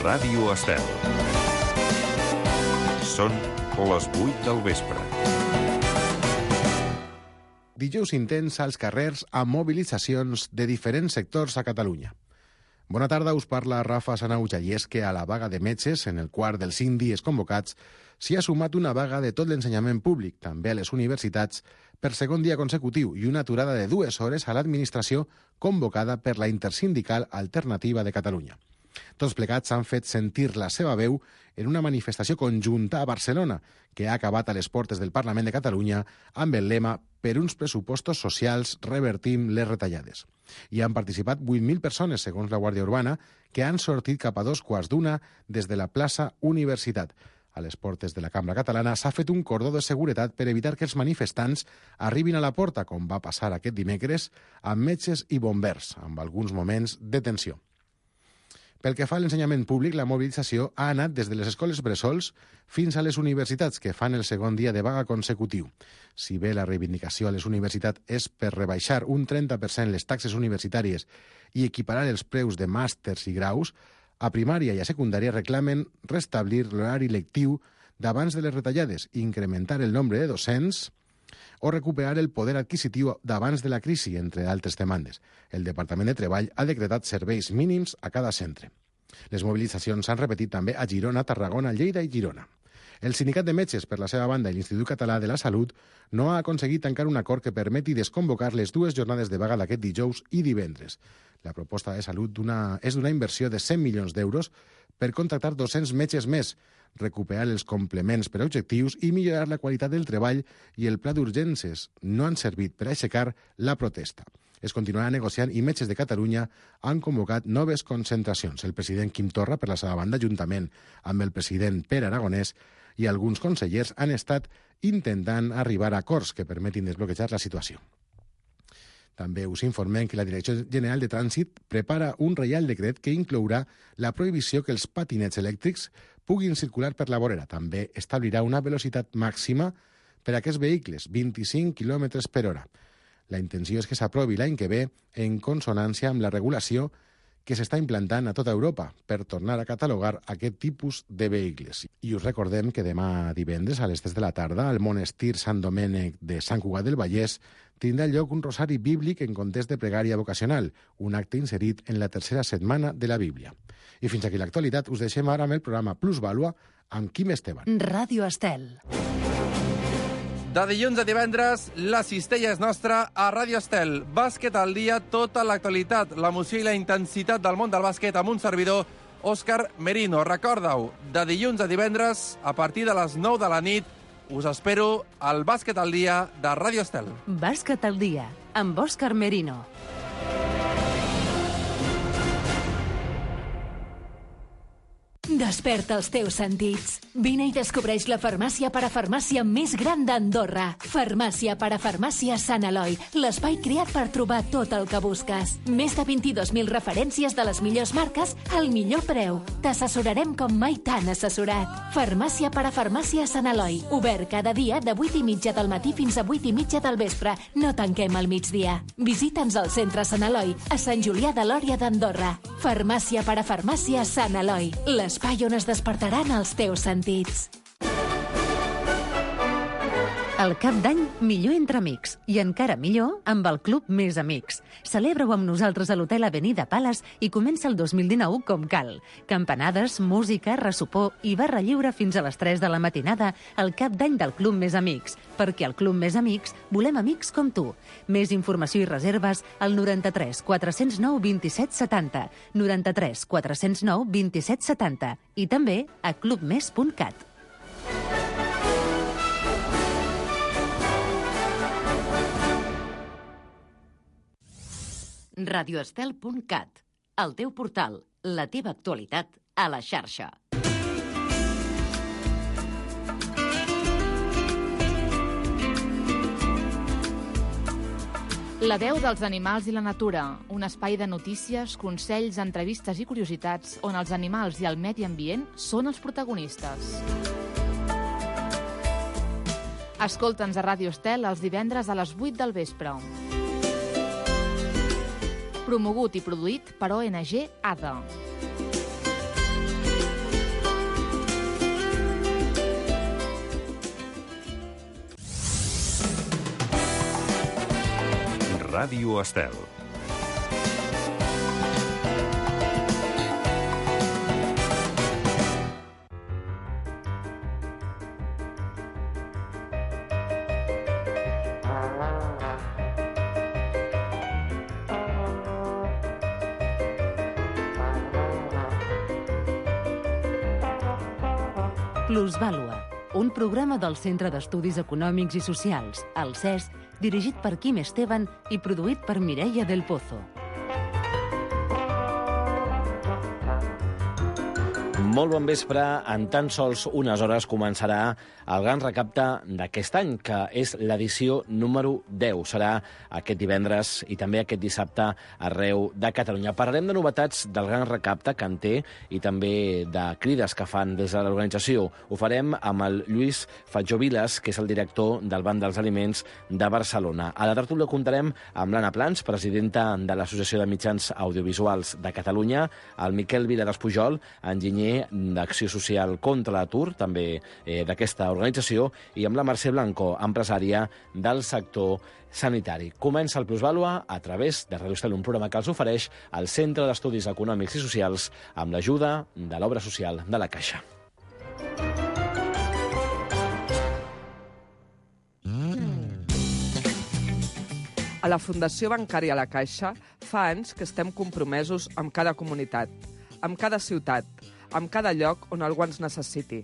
Ràdio Estel. Són les 8 del vespre. Dijous intens als carrers amb mobilitzacions de diferents sectors a Catalunya. Bona tarda, us parla Rafa Sanauja, i és que a la vaga de metges, en el quart dels 5 dies convocats, s'hi ha sumat una vaga de tot l'ensenyament públic, també a les universitats, per segon dia consecutiu, i una aturada de 2 hores a l'administració convocada per la Intersindical Alternativa de Catalunya. Tots plegats han fet sentir la seva veu en una manifestació conjunta a Barcelona, que ha acabat a les portes del Parlament de Catalunya amb el lema «Per uns pressupostos socials revertim les retallades». Hi han participat 8.000 persones, segons la Guàrdia Urbana, que han sortit cap a 2:15 des de la plaça Universitat. A les portes de la Cambra Catalana s'ha fet un cordó de seguretat per evitar que els manifestants arribin a la porta, com va passar aquest dimecres, amb metges i bombers, amb alguns moments de tensió. Pel que fa a l'ensenyament públic, la mobilització ha anat des de les escoles bressols fins a les universitats, que fan el segon dia de vaga consecutiu. Si bé la reivindicació a les universitats és per rebaixar un 30% les taxes universitàries i equiparar els preus de màsters i graus, a primària i a secundària reclamen restablir l'horari lectiu d'abans de les retallades, incrementar el nombre de docents o recuperar el poder adquisitiu d'abans de la crisi, entre altres demandes. El Departament de Treball ha decretat serveis mínims a cada centre. Les mobilitzacions s'han repetit també a Girona, Tarragona, Lleida i Girona. El Sindicat de Metges, per la seva banda, i l'Institut Català de la Salut no ha aconseguit tancar un acord que permeti desconvocar les 2 jornades de vaga d'aquest dijous i divendres. La proposta de Salut és d'una inversió de 100 milions d'euros per contractar 200 metges més, recuperar els complements per a objectius i millorar la qualitat del treball, i el pla d'urgències no han servit per aixecar la protesta. Es continuarà negociant i Metges de Catalunya han convocat noves concentracions. El president Quim Torra, per la seva banda, juntament amb el president Pere Aragonès i alguns consellers, han estat intentant arribar a acords que permetin desbloquejar la situació. També us informem que la Direcció General de Trànsit prepara un reial decret que inclourà la prohibició que els patinets elèctrics puguin circular per la vorera. També establirà una velocitat màxima per a aquests vehicles, 25 km per hora. La intenció és que s'aprovi l'any que ve en consonància amb la regulació que s'està implantant a tota Europa per tornar a catalogar aquest tipus de vehicles. I us recordem que demà divendres a les 3 de la tarda al monestir Sant Domènec de Sant Cugat del Vallès tindrà lloc un rosari bíblic en context de pregària vocacional, un acte inserit en la tercera setmana de la Bíblia. I fins aquí l'actualitat. Us deixem ara amb el programa Plusvàlua amb Quim Esteban. Ràdio Estel. De dilluns a divendres, la cistella és nostra a Ràdio Estel. Bàsquet al dia, tota l'actualitat, l'emoció i la intensitat del món del bàsquet amb un servidor, Òscar Merino. Recorda-ho, de dilluns a divendres, a partir de les 9 de la nit, us espero al Bàsquet al dia de Ràdio Estel. Bàsquet al dia, amb Òscar Merino. Desperta els teus sentits. Vine i descobreix la farmàcia parafarmàcia més gran d'Andorra. Farmàcia parafarmàcia Sant Eloi, l'espai creat per trobar tot el que busques. Més de 22.000 referències de les millors marques al millor preu. T'assessorarem com mai t'han assessorat. Farmàcia parafarmàcia Sant Eloi, obert cada dia de 8:30 del matí fins a 8:30 del vespre. No tanquem al migdia. Visita'ns al centre Sant Eloi, a Sant Julià de Lòria d'Andorra. Farmàcia parafarmàcia Sant Eloi, l'espai on es despertaran els teus sentits. El cap d'any, millor entre amics. I encara millor amb el Club Més Amics. Celebra-ho amb nosaltres a l'Hotel Avenida Palace i comença el 2019 com cal. Campanades, música, ressopor i barra lliure fins a les 3 de la matinada al cap d'any del Club Més Amics. Perquè al Club Més Amics volem amics com tu. Més informació i reserves al 93 409 27 70, 93 409 27 70 i també a clubmes.cat. radioestel.cat, el teu portal, la teva actualitat a la xarxa. La veu dels animals i la natura, un espai de notícies, consells, entrevistes i curiositats on els animals i el medi ambient són els protagonistes. Escolta'ns a Ràdio Estel els divendres a les 8 del vespre. Promogut i produït per ONG ADA. Ràdio Estel. Plusvàlua, un programa del Centre d'Estudis Econòmics i Socials, el CES, dirigit per Quim Esteban i produït per Mireia del Pozo. Molt bon vespre. En tan sols unes hores començarà el Gran Recapte d'aquest any, que és l'edició número 10. Serà aquest divendres i també aquest dissabte arreu de Catalunya. Parlarem de novetats del Gran Recapte que en té i també de crides que fan des de l'organització. Ho farem amb el Lluís Fatjó-Vilas, que és el director del Banc dels Aliments de Barcelona. A la tertúlia comptarem amb l'Anna Plans, presidenta de l'Associació de Mitjans Audiovisuals de Catalunya, el Miquel Viladespujol, enginyer d'Acció Social contra l'Atur, també d'aquesta organització, i amb la Mercè Blanco, empresària del sector sanitari. Comença el Plusvàlua a través de Ràdio Estel, un programa que els ofereix el Centre d'Estudis Econòmics i Socials amb l'ajuda de l'Obra Social de la Caixa. A la Fundació Bancària La Caixa fa anys que estem compromesos amb cada comunitat, amb cada ciutat, amb cada lloc on algú ens necessiti.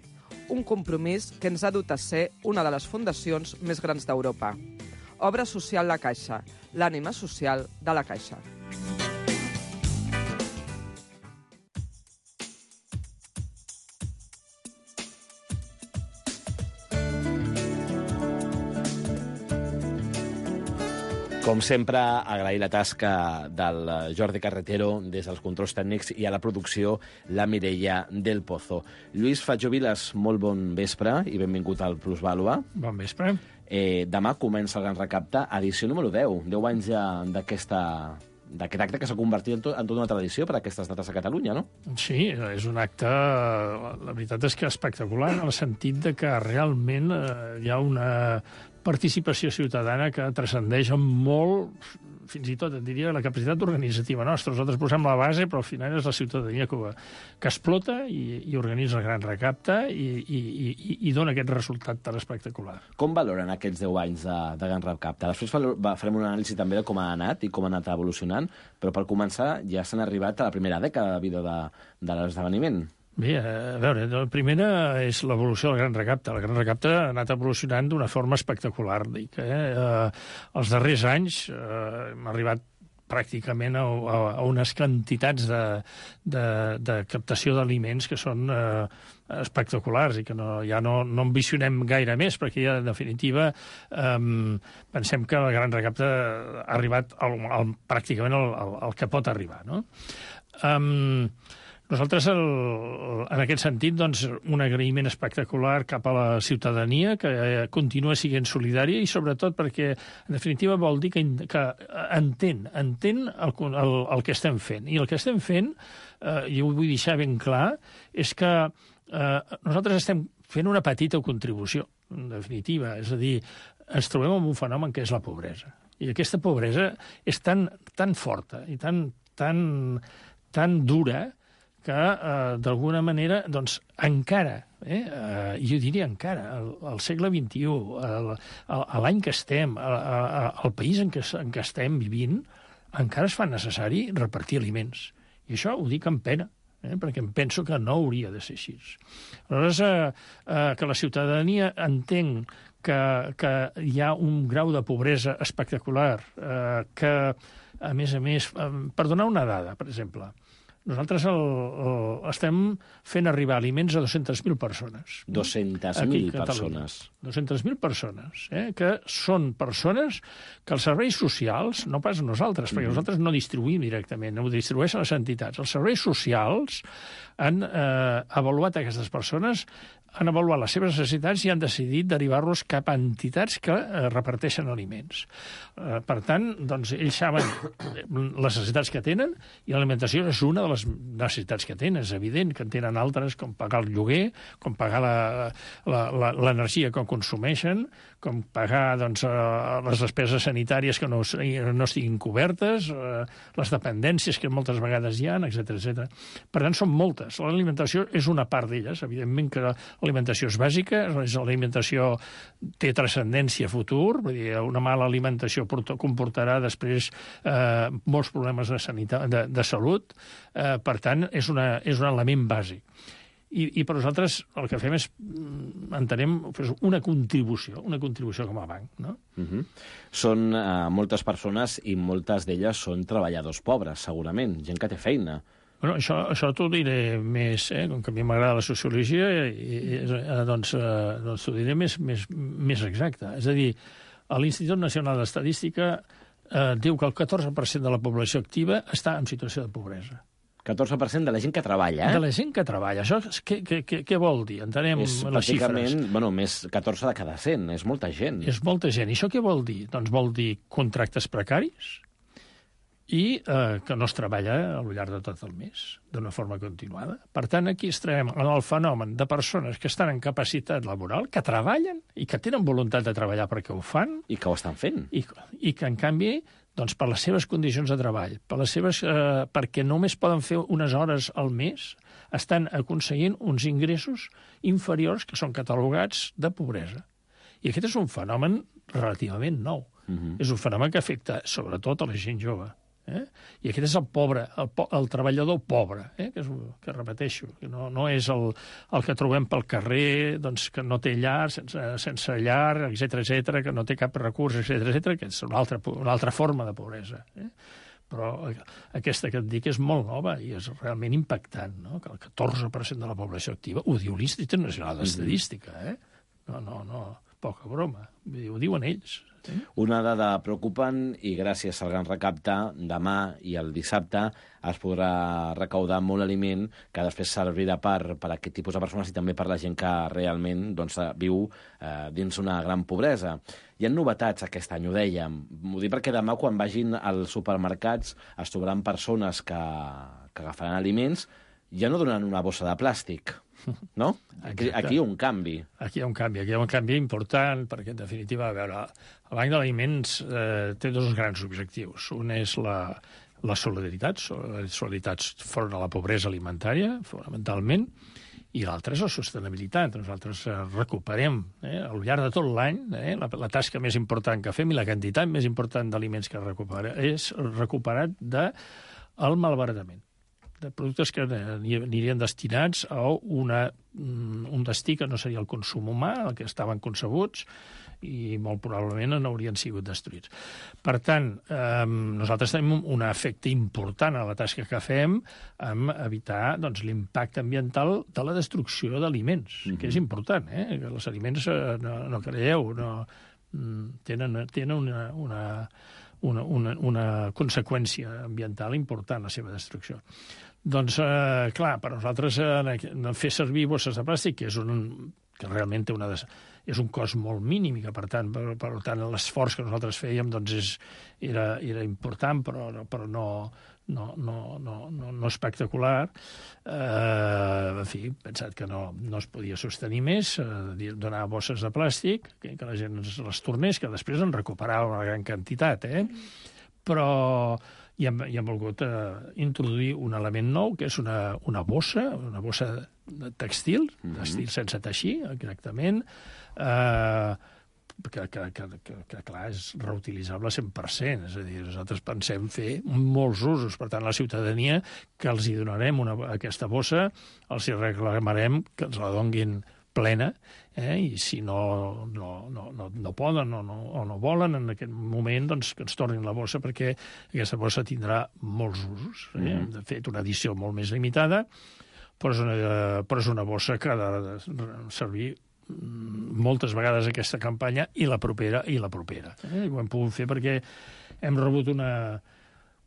Un compromís que ens ha dut a ser una de les fundacions més grans d'Europa. Obra Social La Caixa, l'ànima social de la Caixa. Com sempre, agrair la tasca del Jordi Carretero des dels controls tècnics i a la producció la Mireia del Pozo. Lluís Fatjó-Vilas, molt bon vespre i benvingut al Plusvàlua. Bon vespre. Demà comença el Gran Recapte, edició número 10. 10 anys ja d'aquest acte que s'ha convertit en tota una tradició per a aquestes dates a Catalunya, no? Sí, és un acte, la veritat és que espectacular, en el sentit de que realment hi ha una participació ciutadana que transcendeix molt, fins i tot, et diria, la capacitat organitzativa nostra. Nosaltres posem la base, però al final és la ciutadania que explota i organitza el Gran Recapte i dona aquest resultat tan espectacular. Com valoren aquests 10 anys de Gran Recapte? Després farem una anàlisi també de com ha anat i com ha anat evolucionant, però per començar ja s'han arribat a la primera dècada de vida de l'esdeveniment. Bé, a veure, la primera és l'evolució del Gran Recapte. El Gran Recapte ha anat evolucionant d'una forma espectacular. Dic, els darrers anys hem arribat pràcticament a unes quantitats de captació d'aliments que són espectaculars i que ja no ambicionem gaire més, perquè ja, en definitiva, pensem que el Gran Recapte ha arribat pràcticament al que pot arribar, no? Nosaltres, en aquest sentit, doncs, un agraïment espectacular cap a la ciutadania, que continua sent solidària i, sobretot, perquè, en definitiva, vol dir que entén el que estem fent. I el que estem fent, i ho vull deixar ben clar, és que nosaltres estem fent una petita contribució, en definitiva. És a dir, ens trobem amb un fenomen que és la pobresa. I aquesta pobresa és tan forta i tan dura que, d'alguna manera, doncs, encara, jo diria encara, al segle XXI, l'any que estem, al país en què estem vivint, encara es fa necessari repartir aliments. I això ho dic amb pena, perquè em penso que no hauria de ser així. Aleshores, que la ciutadania entén que hi ha un grau de pobresa espectacular, que, a més, per donar una dada, per exemple, nosaltres estem fent arribar aliments a 200.000 persones. 200.000 persones. 200.000 persones, que són persones que els serveis socials, no pas nosaltres, perquè nosaltres no distribuïm directament, ho distribueixen les entitats. Els serveis socials han avaluat aquestes persones han avaluat les seves necessitats i han decidit derivar-los cap a entitats que reparteixen aliments. Per tant, doncs, ells saben les necessitats que tenen i l'alimentació és una de les necessitats que tenen. És evident que en tenen altres, com pagar el lloguer, com pagar l'energia que consumeixen, com pagar doncs, les despeses sanitàries que no estiguin cobertes, les dependències que moltes vegades hi ha, etc. Per tant, són moltes. L'alimentació és una part d'elles. Evidentment que l'alimentació és bàsica, l'alimentació té transcendència futur, vull dir, una mala alimentació comportarà després molts problemes de salut. Per tant, és un element bàsic. I per nosaltres el que fem és, entenem, una contribució com a banc. No? Són moltes persones i moltes d'elles són treballadors pobres, segurament, gent que té feina. Bueno, això t'ho diré més, com que a mi m'agrada la sociologia, doncs t'ho diré més exacte. És a dir, l'Institut Nacional d'Estadística diu que el 14% de la població activa està en situació de pobresa. 14% de la gent que treballa, De la gent que treballa. Això què vol dir? Entenem les xifres. És pràcticament, més 14 de cada 100, és molta gent. És molta gent. I això què vol dir? Doncs vol dir contractes precaris i que no es treballa al llarg de tot el mes, d'una forma continuada. Per tant, aquí estarem en el fenomen de persones que estan en capacitat laboral, que treballen i que tenen voluntat de treballar perquè ho fan. I que ho estan fent. I que, en canvi, doncs, per les seves condicions de treball, perquè només poden fer unes hores al mes, estan aconseguint uns ingressos inferiors que són catalogats de pobresa. I aquest és un fenomen relativament nou. És un fenomen que afecta sobretot a la gent jove. I aquest és el pobre, el treballador pobre, que repeteixo, no és el que trobem pel carrer, doncs, que no té llar, sense llar, etc., que no té cap recurs, etc., que és una altra forma de pobresa. Però aquesta que et dic és molt nova i és realment impactant, no? Que el 14% de la població activa, ho diu l'Institut Nacional d'Estadística, No, poca broma, ho diuen ells. Una dada preocupant i gràcies al Gran Recapte, demà i el dissabte es podrà recaudar molt aliment que després servirà per aquest tipus de persones i també per la gent que realment viu dins una gran pobresa. Hi ha novetats aquest any, ho dèiem. Ho dic perquè demà, quan vagin als supermercats, es trobaran persones que agafaran aliments, ja no donaran una bossa de plàstic, no? Aquí hi ha un canvi. Aquí hi ha un canvi important, perquè, en definitiva, a veure, el Banc d'Aliments té dos grans objectius. Un és la solidaritat front a la pobresa alimentària, fonamentalment, i l'altre és la sostenibilitat. Nosaltres recuperem, al llarg de tot l'any, la tasca més important que fem i la quantitat més important d'aliments que recupera és recuperat del malbaratament, de productes que anirien destinats a un destí que no seria el consum humà, el que estaven concebuts, i molt probablement n'haurien sigut destruïts. Per tant, nosaltres tenim un efecte important a la tasca que fem en evitar l'impacte ambiental de la destrucció d'aliments, que és important, que els aliments, no creieu, tenen una conseqüència ambiental important, la seva destrucció. Doncs, clar, per nosaltres fer servir bosses de plàstic, que realment és un cost molt mínim i que, per tant, l'esforç que nosaltres fèiem era important, però no espectacular. En fi, pensat que no es podia sostenir més, donar bosses de plàstic, que la gent les tornés, que després en recuperava una gran quantitat, però i hem volgut introduir un element nou, que és una bossa textil sense teixir, exactament, que clar, és reutilitzable 100%. És a dir, nosaltres pensem fer molts usos. Per tant, la ciutadania que els hi donarem aquesta bossa, els hi reclamarem que ens la donguin plena, i si no poden o no volen en aquest moment, doncs que ens tornin la bossa, perquè aquesta bossa tindrà molts usos. Hem fet una edició molt més limitada, però és una bossa que ha de servir moltes vegades aquesta campanya i la propera. Ho hem pogut fer perquè hem rebut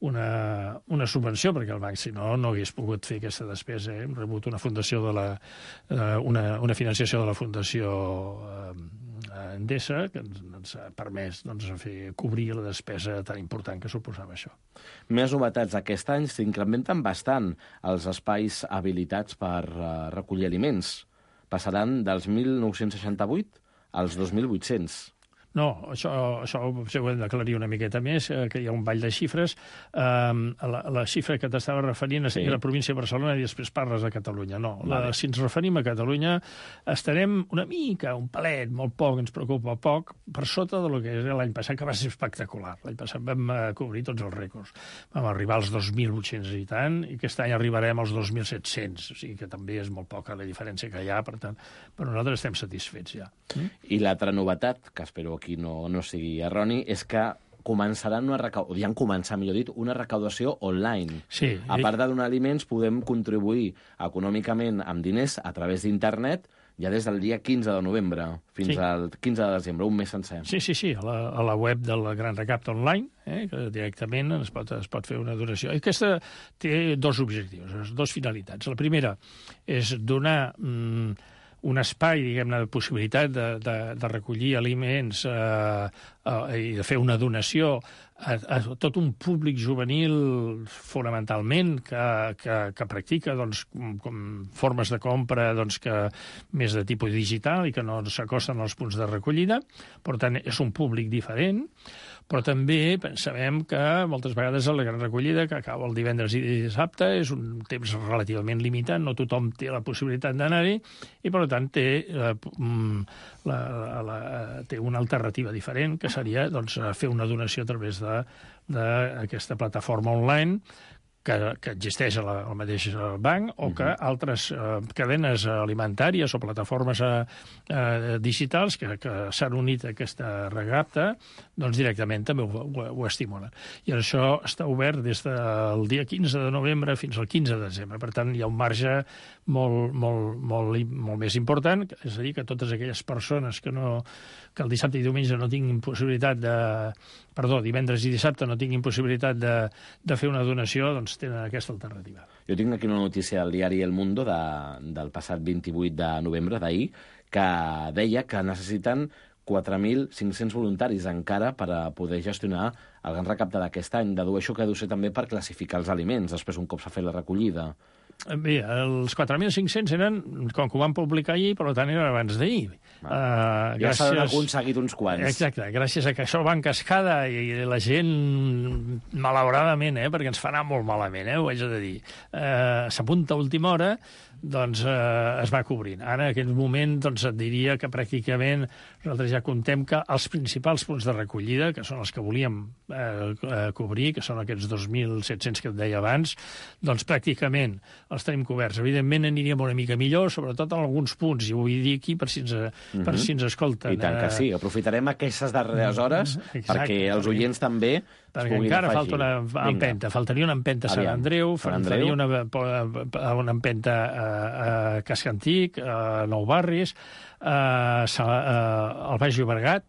una subvenció, perquè el banc, si no, no hagués pogut fer aquesta despesa. Hem rebut una fundació una financiació de la Fundació Endesa, que ens ha permès cobrir la despesa tan important que suposava això. Més novetats. Aquest any s'incrementen bastant els espais habilitats per recollir aliments. Passaran dels 1.968 als 2.800. No, això ho hem d'aclarir una miqueta més, que hi ha un ball de xifres. La xifra que t'estava referint és la província de Barcelona i després parles de Catalunya. No, si ens referim a Catalunya, estarem una mica, un palet, molt poc, ens preocupa poc, per sota de lo que és l'any passat, que va ser espectacular. L'any passat vam cobrir tots els rècords. Vam arribar als 2.800 i tant, i aquest any arribarem als 2.700, o sigui que també és molt poca la diferència que hi ha, per tant, per nosaltres estem satisfets ja. I l'altra novetat, que espero aquí no sigui erroni, és que començaran una recaudació online. Sí. A part de donar aliments, podem contribuir econòmicament amb diners a través d'internet ja des del dia 15 de novembre fins al 15 de desembre, un mes sencer. Sí, a la web del Gran Recapte Online, que directament es pot fer una donació. Aquesta té dos objectius, dos finalitats. La primera és donar un espai, diguem-ne, de possibilitat de recollir aliments i de fer una donació a tot un públic juvenil, fonamentalment, que practica com formes de compra més de tipus digital i que no s'acosten als punts de recollida. Per tant, és un públic diferent, però també sabem que moltes vegades la gran recollida, que acaba el divendres i dissabte, és un temps relativament limitat, no tothom té la possibilitat d'anar-hi, i per tant té una alternativa diferent, que seria fer una donació a través d'aquesta plataforma online que existeix al mateix banc, o que altres cadenes alimentàries o plataformes digitals que s'han unit a aquesta recapta, directament també ho estimulen. I això està obert des del dia 15 de novembre fins al 15 de desembre. Per tant, hi ha un marge molt més important, és a dir, que totes aquelles persones que el dissabte i diumenge no tinguin possibilitat divendres i dissabte no tinguin possibilitat de fer una donació, doncs tenen aquesta alternativa. Jo tinc aquí una notícia del diari El Mundo del passat 28 de novembre, d'ahir, que deia que necessiten 4.500 voluntaris encara per a poder gestionar el gran recapte d'aquest any. Dedueixo que deu ser també per classificar els aliments, després un cop s'ha fet la recollida. Bé, els 4.500 eren, com que ho van publicar ahir, per tant eren abans d'ahir. Ja s'han aconseguit uns quants. Exacte, gràcies a que això va en cascada i la gent, malauradament, perquè ens fa anar molt malament, ho haig de dir, s'apunta a última hora, es va cobrint. Ara, en aquest moment, et diria que pràcticament nosaltres ja contem que els principals punts de recollida, que són els que volíem cobrir, que són aquests 2.700 que et deia abans, doncs pràcticament els tenim coberts. Evidentment aniríem una mica millor, sobretot en alguns punts, i ho vull dir aquí per si ens escolten. I tant que sí, aprofitarem aquestes darreres hores perquè els oients també perquè encara falta una empenta. Faltaria una empenta a Sant Andreu, faltaria una empenta a Casc Antic, a Nou Barris, al Baix Llobregat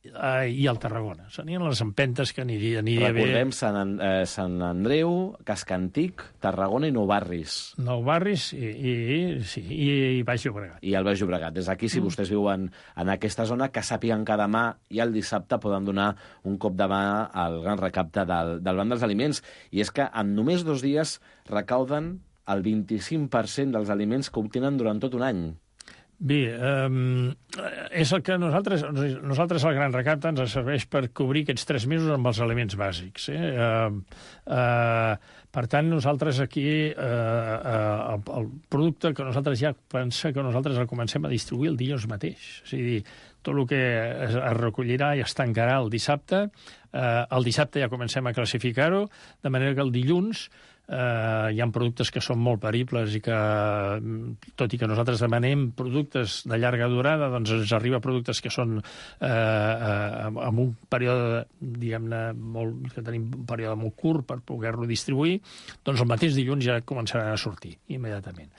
i al Tarragona. Serien les empentes que aniria bé. Recordem Sant Andreu, Casc Antic, Tarragona i Nou Barris. Nou Barris i Baix Llobregat. I el Baix Llobregat. Des d'aquí, si vostès viuen en aquesta zona, que sàpiguen que demà i el dissabte poden donar un cop de mà al gran recapte del Banc dels Aliments. I és que en només 2 dies recauden el 25% dels aliments que obtenen durant tot un any. Bé, és el que nosaltres el Gran Recapte ens serveix per cobrir aquests 3 mesos amb els aliments bàsics. Per tant, nosaltres aquí, el producte que nosaltres ja pensa que nosaltres el comencem a distribuir el dilluns mateix. És a dir, tot el que es recollirà i es tancarà el dissabte. El dissabte ja comencem a classificar-ho, de manera que el dilluns hi ha productes que són molt peribles i que, tot i que nosaltres demanem productes de llarga durada, doncs ens arriba productes que són amb un període, diguem-ne, que tenim un període molt curt per poder-lo distribuir, doncs el mateix dilluns ja començaran a sortir immediatament.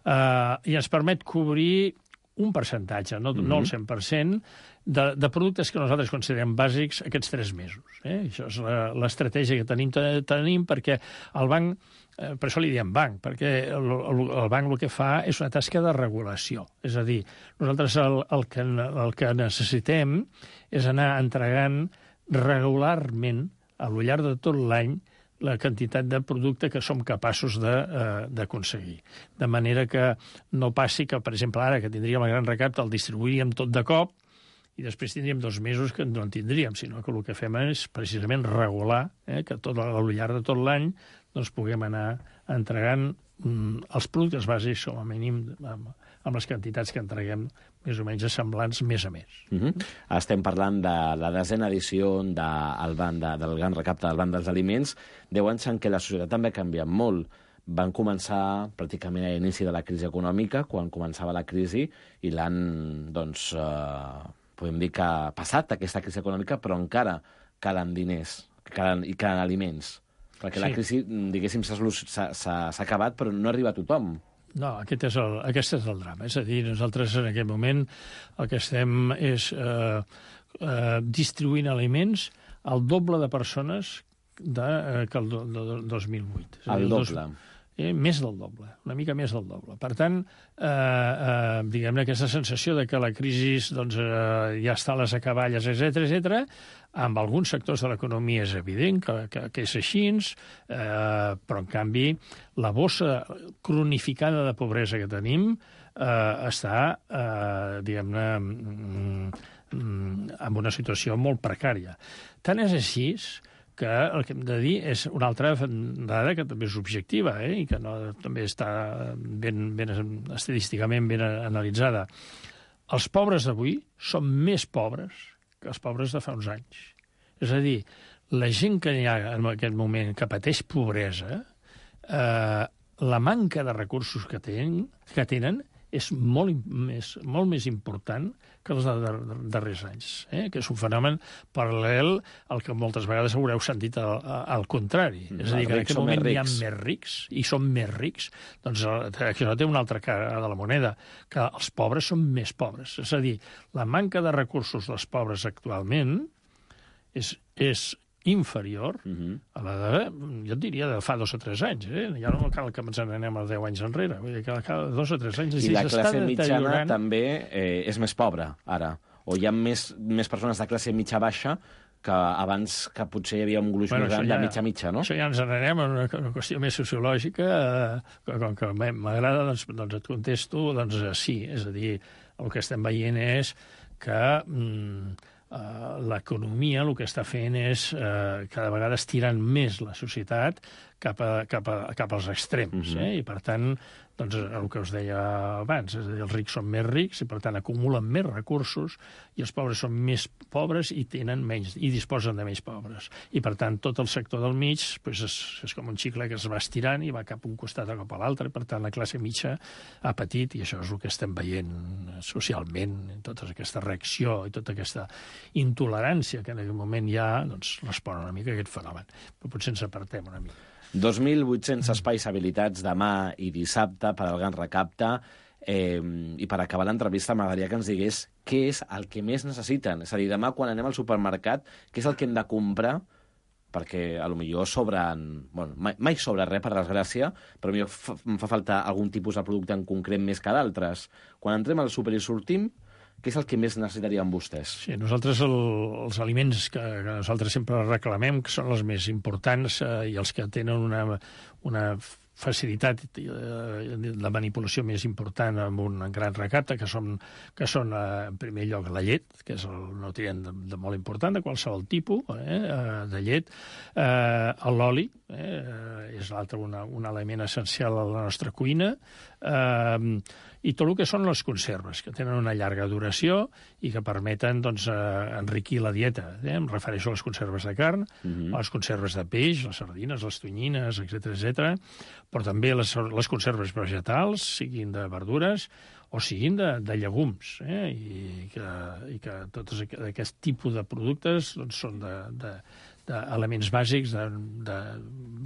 I ens permet cobrir un percentatge, no el 100%, de productes que nosaltres considerem bàsics aquests 3 mesos. Això és l'estratègia que tenim perquè el banc, per això li diem banc, perquè el banc el que fa és una tasca de regulació. És a dir, nosaltres el que necessitem és anar entregant regularment, a lo llarg de tot l'any, la quantitat de producte que som capaços d'aconseguir. De manera que no passi que, per exemple, ara que tindríem el gran recapte, el distribuiríem tot de cop i després tindríem 2 mesos que no en tindríem, sinó que el que fem és precisament regular, que al llarg de tot l'any doncs, puguem anar entregant els productes bàsics, com a mínim, amb les quantitats que entreguem més o menys semblants mes a mes. Estem parlant de la 10a edició del gran recapte del Banc dels Aliments, 10 anys en què la societat també ha canviat molt. Van començar pràcticament a l'inici de la crisi econòmica, quan començava la crisi, i l'han, doncs, podem dir que ha passat aquesta crisi econòmica, però encara calen diners i calen aliments. Perquè la crisi, diguéssim, s'ha acabat, però no arriba a tothom. No, aquest és el drama. És a dir, nosaltres en aquest moment el que estem és distribuint aliments al doble de persones que el 2008. El doble. Més del doble, una mica més del doble. Per tant, diguem-ne, aquesta sensació de que la crisi doncs, ja està a les acaballes, etc., amb alguns sectors de l'economia és evident que és així, però, en canvi, la bossa cronificada de pobresa que tenim està, diguem-ne, en una situació molt precària. Tant és així que el que hem de dir és una altra dada que també és objectiva i que també està estadísticament ben analitzada. Els pobres d'avui són més pobres que els pobres de fa uns anys. És a dir, la gent que hi ha en aquest moment que pateix pobresa, la manca de recursos que tenen és molt més important que els darrers anys, que és un fenomen paral·lel al que moltes vegades haureu sentit al contrari. És a dir, que en aquest moment hi ha més rics i són més rics, doncs això té una altra cara de la moneda, que els pobres són més pobres. És a dir, la manca de recursos dels pobres actualment és inferior a la de, jo et diria, de fa 2 o 3 anys. Ja no cal que ens n'anem a 10 anys enrere. Vull dir que cada 2 o 3 anys... I la classe mitjana també és més pobra, ara. O hi ha més persones de classe mitja-baixa que abans que potser hi havia un gruix més gran de mitja-mitja, no? Això ja ens n'anem a una qüestió més sociològica, com que m'agrada, doncs et contesto, doncs sí. És a dir, el que estem veient és que l'economia el que està fent és cada vegada estirant més la societat cap als extrems. I, per tant, doncs, el que us deia abans, és a dir, els rics són més rics i, per tant, acumulen més recursos i els pobres són més pobres i tenen menys, i disposen de menys pobres. I, per tant, tot el sector del mig és com un xicle que es va estirant i va cap a un costat o cap a l'altre. Per tant, la classe mitja ha patit, i això és el que estem veient socialment, tota aquesta reacció i tota aquesta intolerància que en aquest moment hi ha, doncs respon una mica a aquest fenomen. Però potser ens apartem una mica. 2.800 espais habilitats demà i dissabte per al gran recapte. I per acabar l'entrevista m'agradaria que ens digués què és el que més necessiten. És a dir, demà quan anem al supermercat, què és el que hem de comprar? Perquè potser sobren... Bueno, mai sobra res, per desgràcia, però potser em fa falta algun tipus de producte en concret més que d'altres. Quan entrem al súper i sortim, què és el que més necessitaríem vostès? Sí, nosaltres els aliments que nosaltres sempre reclamem, que són els més importants i els que tenen una facilitat de manipulació més important amb un gran recapte, que són en primer lloc la llet, que és el nutrient de molt important, de qualsevol tipus de llet, l'oli, és l'altre un element essencial a la nostra cuina, i tot el que són les conserves, que tenen una llarga duració i que permeten doncs, enriquir la dieta. Em refereixo a les conserves de carn, a les conserves de peix, les sardines, les tonyines, etc., però també les conserves vegetals, siguin de verdures o siguin de llegums, i que tots aquest tipus de productes doncs, són d'elements bàsics de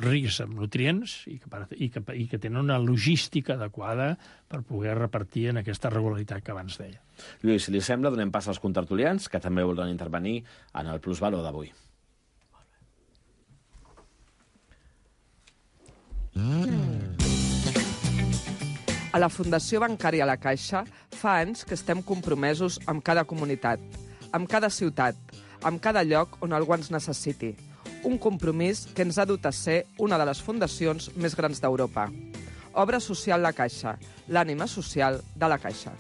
rics en nutrients i que tenen una logística adequada per poder repartir en aquesta regularitat que abans deia. Lluís, si li sembla, donem pas als contertulians, que també volen intervenir en el plusvalor d'avui. A la Fundació Bancària La Caixa fa anys que estem compromesos amb cada comunitat, amb cada ciutat, amb cada lloc on algú ens necessiti. Un compromís que ens ha dut a ser una de les fundacions més grans d'Europa. Obra Social La Caixa, l'ànima social de la Caixa.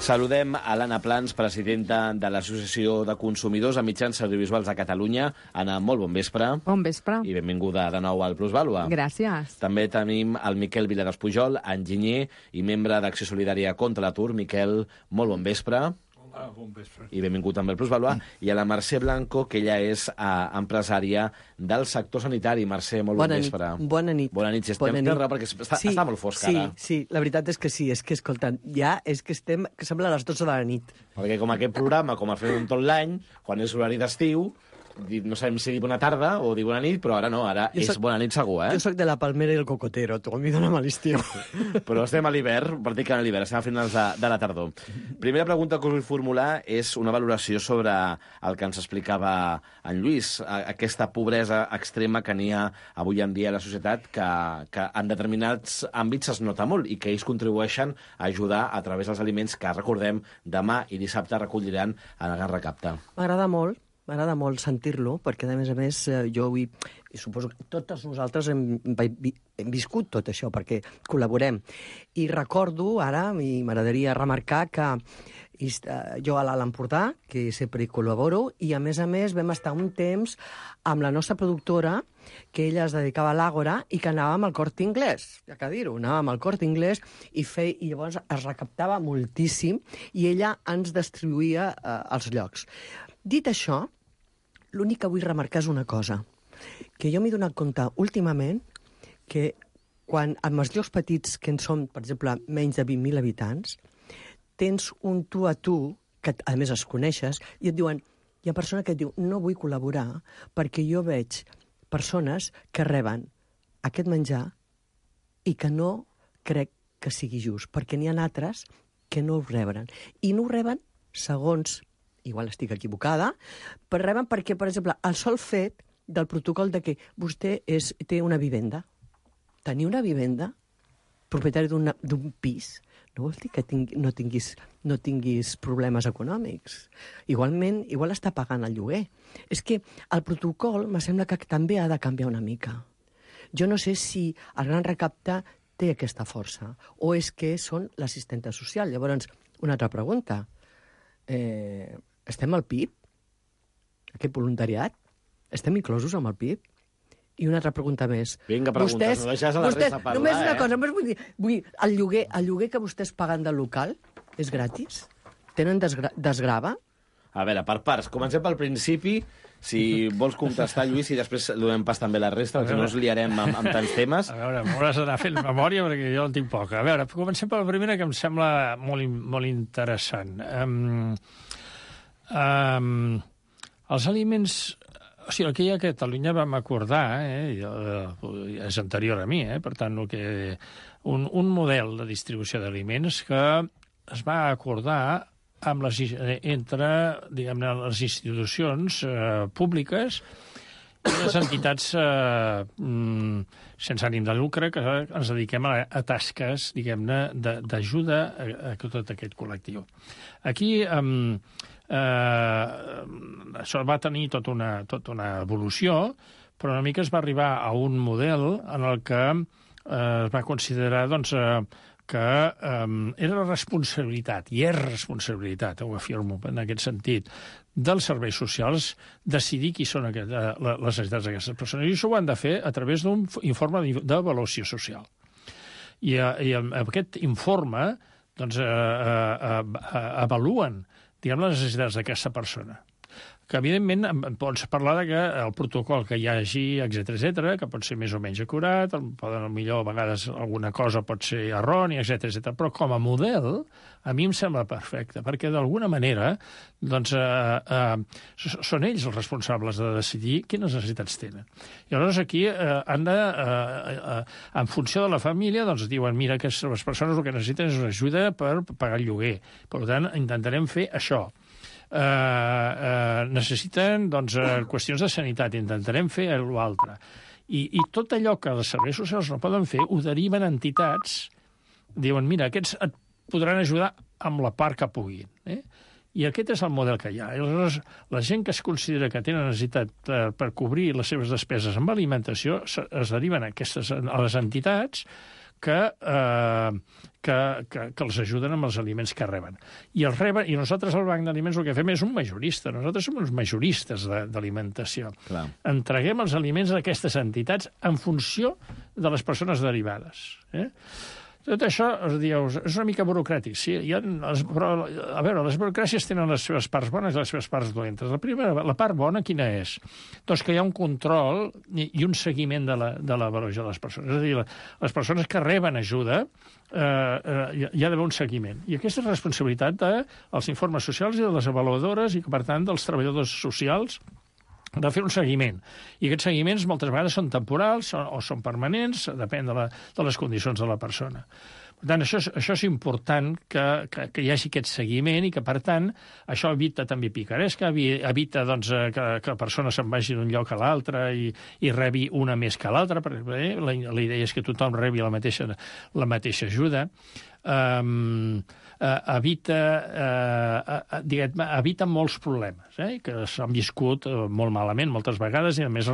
Saludem a l'Anna Plans, presidenta de l'Associació de Consumidors de Mitjans Audiovisuals de Catalunya. Anna, molt bon vespre. Bon vespre. I benvinguda de nou al Plusvàlua. Gràcies. També tenim el Miquel Viladós Pujol, enginyer i membre d'Acció Solidària contra l'Atur. Miquel, molt bon vespre. Bon vespre. I benvingut també al Plusvàlua. I a la Mercè Blanco, que ella és empresària del sector sanitari. Mercè, molt bon vespre. Bona nit. Bona nit. Si estem té raó, perquè està molt fosc ara. Sí, la veritat és que sí. És que, escoltant, ja és que que sembla a les 12 de la nit. Perquè com aquest programa, com a fer tot l'any, quan és horari d'estiu, no sabem si dir bona tarda o dir bona nit, però ara no, ara és bona nit segur, Jo soc de la palmera i el cocotero, tu a mi dóna'm a l'estiu. Però estem a l'hivern, pràcticament a l'hivern, estem a finals de la tardor. Primera pregunta que us vull formular és una valoració sobre el que ens explicava en Lluís, aquesta pobresa extrema que n'hi ha avui en dia a la societat, que en determinats àmbits es nota molt i que ells contribueixen a ajudar a través dels aliments que, recordem, demà i dissabte recolliran en el Gran Recapte. M'agrada molt sentir-lo, perquè, a més, jo avui, i suposo que totes nosaltres hem viscut tot això, perquè col·laborem. I recordo ara, i m'agradaria remarcar que jo a l'Alt Empordà, que sempre hi col·laboro, i a més vam estar un temps amb la nostra productora, que ella es dedicava a l'Àgora i que anàvem al Corte Inglés, ja que dir-ho, anàvem al Corte Inglés i llavors es recaptava moltíssim i ella ens distribuïa als llocs. Dit això, l'únic que vull remarcar és una cosa, que jo m'he donat compte últimament que quan amb els llocs petits, que en són, per exemple, menys de 20.000 habitants, tens un tu a tu, que a més es coneixes, i et diuen, hi ha persona que et diu, no vull col·laborar perquè jo veig persones que reben aquest menjar i que no crec que sigui just, perquè n'hi ha altres que no ho reben. I no ho reben segons, igual estic equivocada, però reben perquè, per exemple, el sol fet del protocol de que vostè té una vivenda. Tenir una vivenda, propietari d'un pis, no vol dir que no tinguis problemes econòmics. Igualment, igual està pagant el lloguer. És que el protocol me sembla que també ha de canviar una mica. Jo no sé si el Gran Recapte té aquesta força o és que són l'assistenta social. Llavors, una altra pregunta. Estem al PIB? Aquest voluntariat? Estem inclosos amb el PIB? I una altra pregunta més. Vinga, preguntes, no deixes a la resta parlar, només una cosa, només vull dir, el lloguer que vostès paguen del local és gratis? Tenen desgrava? A veure, per parts. Comencem pel principi, si vols contestar, Lluís, i després donem pas també la resta, perquè no ens liarem amb tants temes. A veure, m'hauràs d'anar fent memòria, perquè jo en tinc poca. A veure, comencem per la primera, que em sembla molt interessant. Els aliments... O sigui, el que hi ha a Catalunya vam acordar, és anterior a mi, per tant, un model de distribució d'aliments que es va acordar entre, diguem-ne, les institucions públiques i les entitats sense ànim de lucre que ens dediquem a tasques, diguem-ne, d'ajuda a tot aquest col·lectiu. Aquí... això va tenir tota una evolució, però una mica es va arribar a un model en el que es va considerar que era responsabilitat, i és responsabilitat, ho afirmo en aquest sentit, dels serveis socials decidir qui són les necessitats d'aquestes persones. I això ho han de fer a través d'un informe d'avaluació social. I aquest informe avaluen, diguem, les necessitats d'aquesta persona. que evidentment pots parlar que el protocol que hi hagi, etc, que pot ser més o menys acurat, millor a vegades alguna cosa pot ser errònia, etc, però com a model a mi em sembla perfecte, perquè d'alguna manera doncs, són ells els responsables de decidir quines necessitats tenen. I llavors aquí han de, en funció de la família, doncs diuen, mira, que les persones el que necessiten és una ajuda per pagar el lloguer. Per tant, intentarem fer això. Necessiten doncs, qüestions de sanitat, intentarem fer l'altre. I tot allò que els serveis socials no poden fer ho deriven a entitats, diuen, mira, aquests et podran ajudar amb la part que puguin. I aquest és el model que hi ha. I aleshores, la gent que es considera que tenen necessitat per cobrir les seves despeses amb alimentació es deriven a les entitats que els ajuden amb els aliments que reben. I nosaltres al Banc d'Aliments el que fem és un majorista. Nosaltres som uns majoristes d'alimentació. Entreguem els aliments a aquestes entitats en funció de les persones derivades. Tot això, dius, és una mica burocràtic. Sí, però, a veure, les burocràcies tenen les seves parts bones i les seves parts dolentes. La part bona quina és? Doncs que hi ha un control i un seguiment de l'avaluació de les persones. És a dir, les persones que reben ajuda hi ha d'haver un seguiment. I aquesta és responsabilitat dels informes socials i de les avaluadores i, per tant, dels treballadors socials de fer un seguiment. I aquests seguiments moltes vegades són temporals o són permanents, depèn de les condicions de la persona. Per tant, això és important que hi hagi aquest seguiment i que, per tant, això evita també picaresca, evita doncs, que la persona se'n vagi d'un lloc a l'altre i rebi una més que l'altra, perquè la idea és que tothom rebi la mateixa ajuda. Evita molts problemes que s'han viscut molt malament moltes vegades i a més a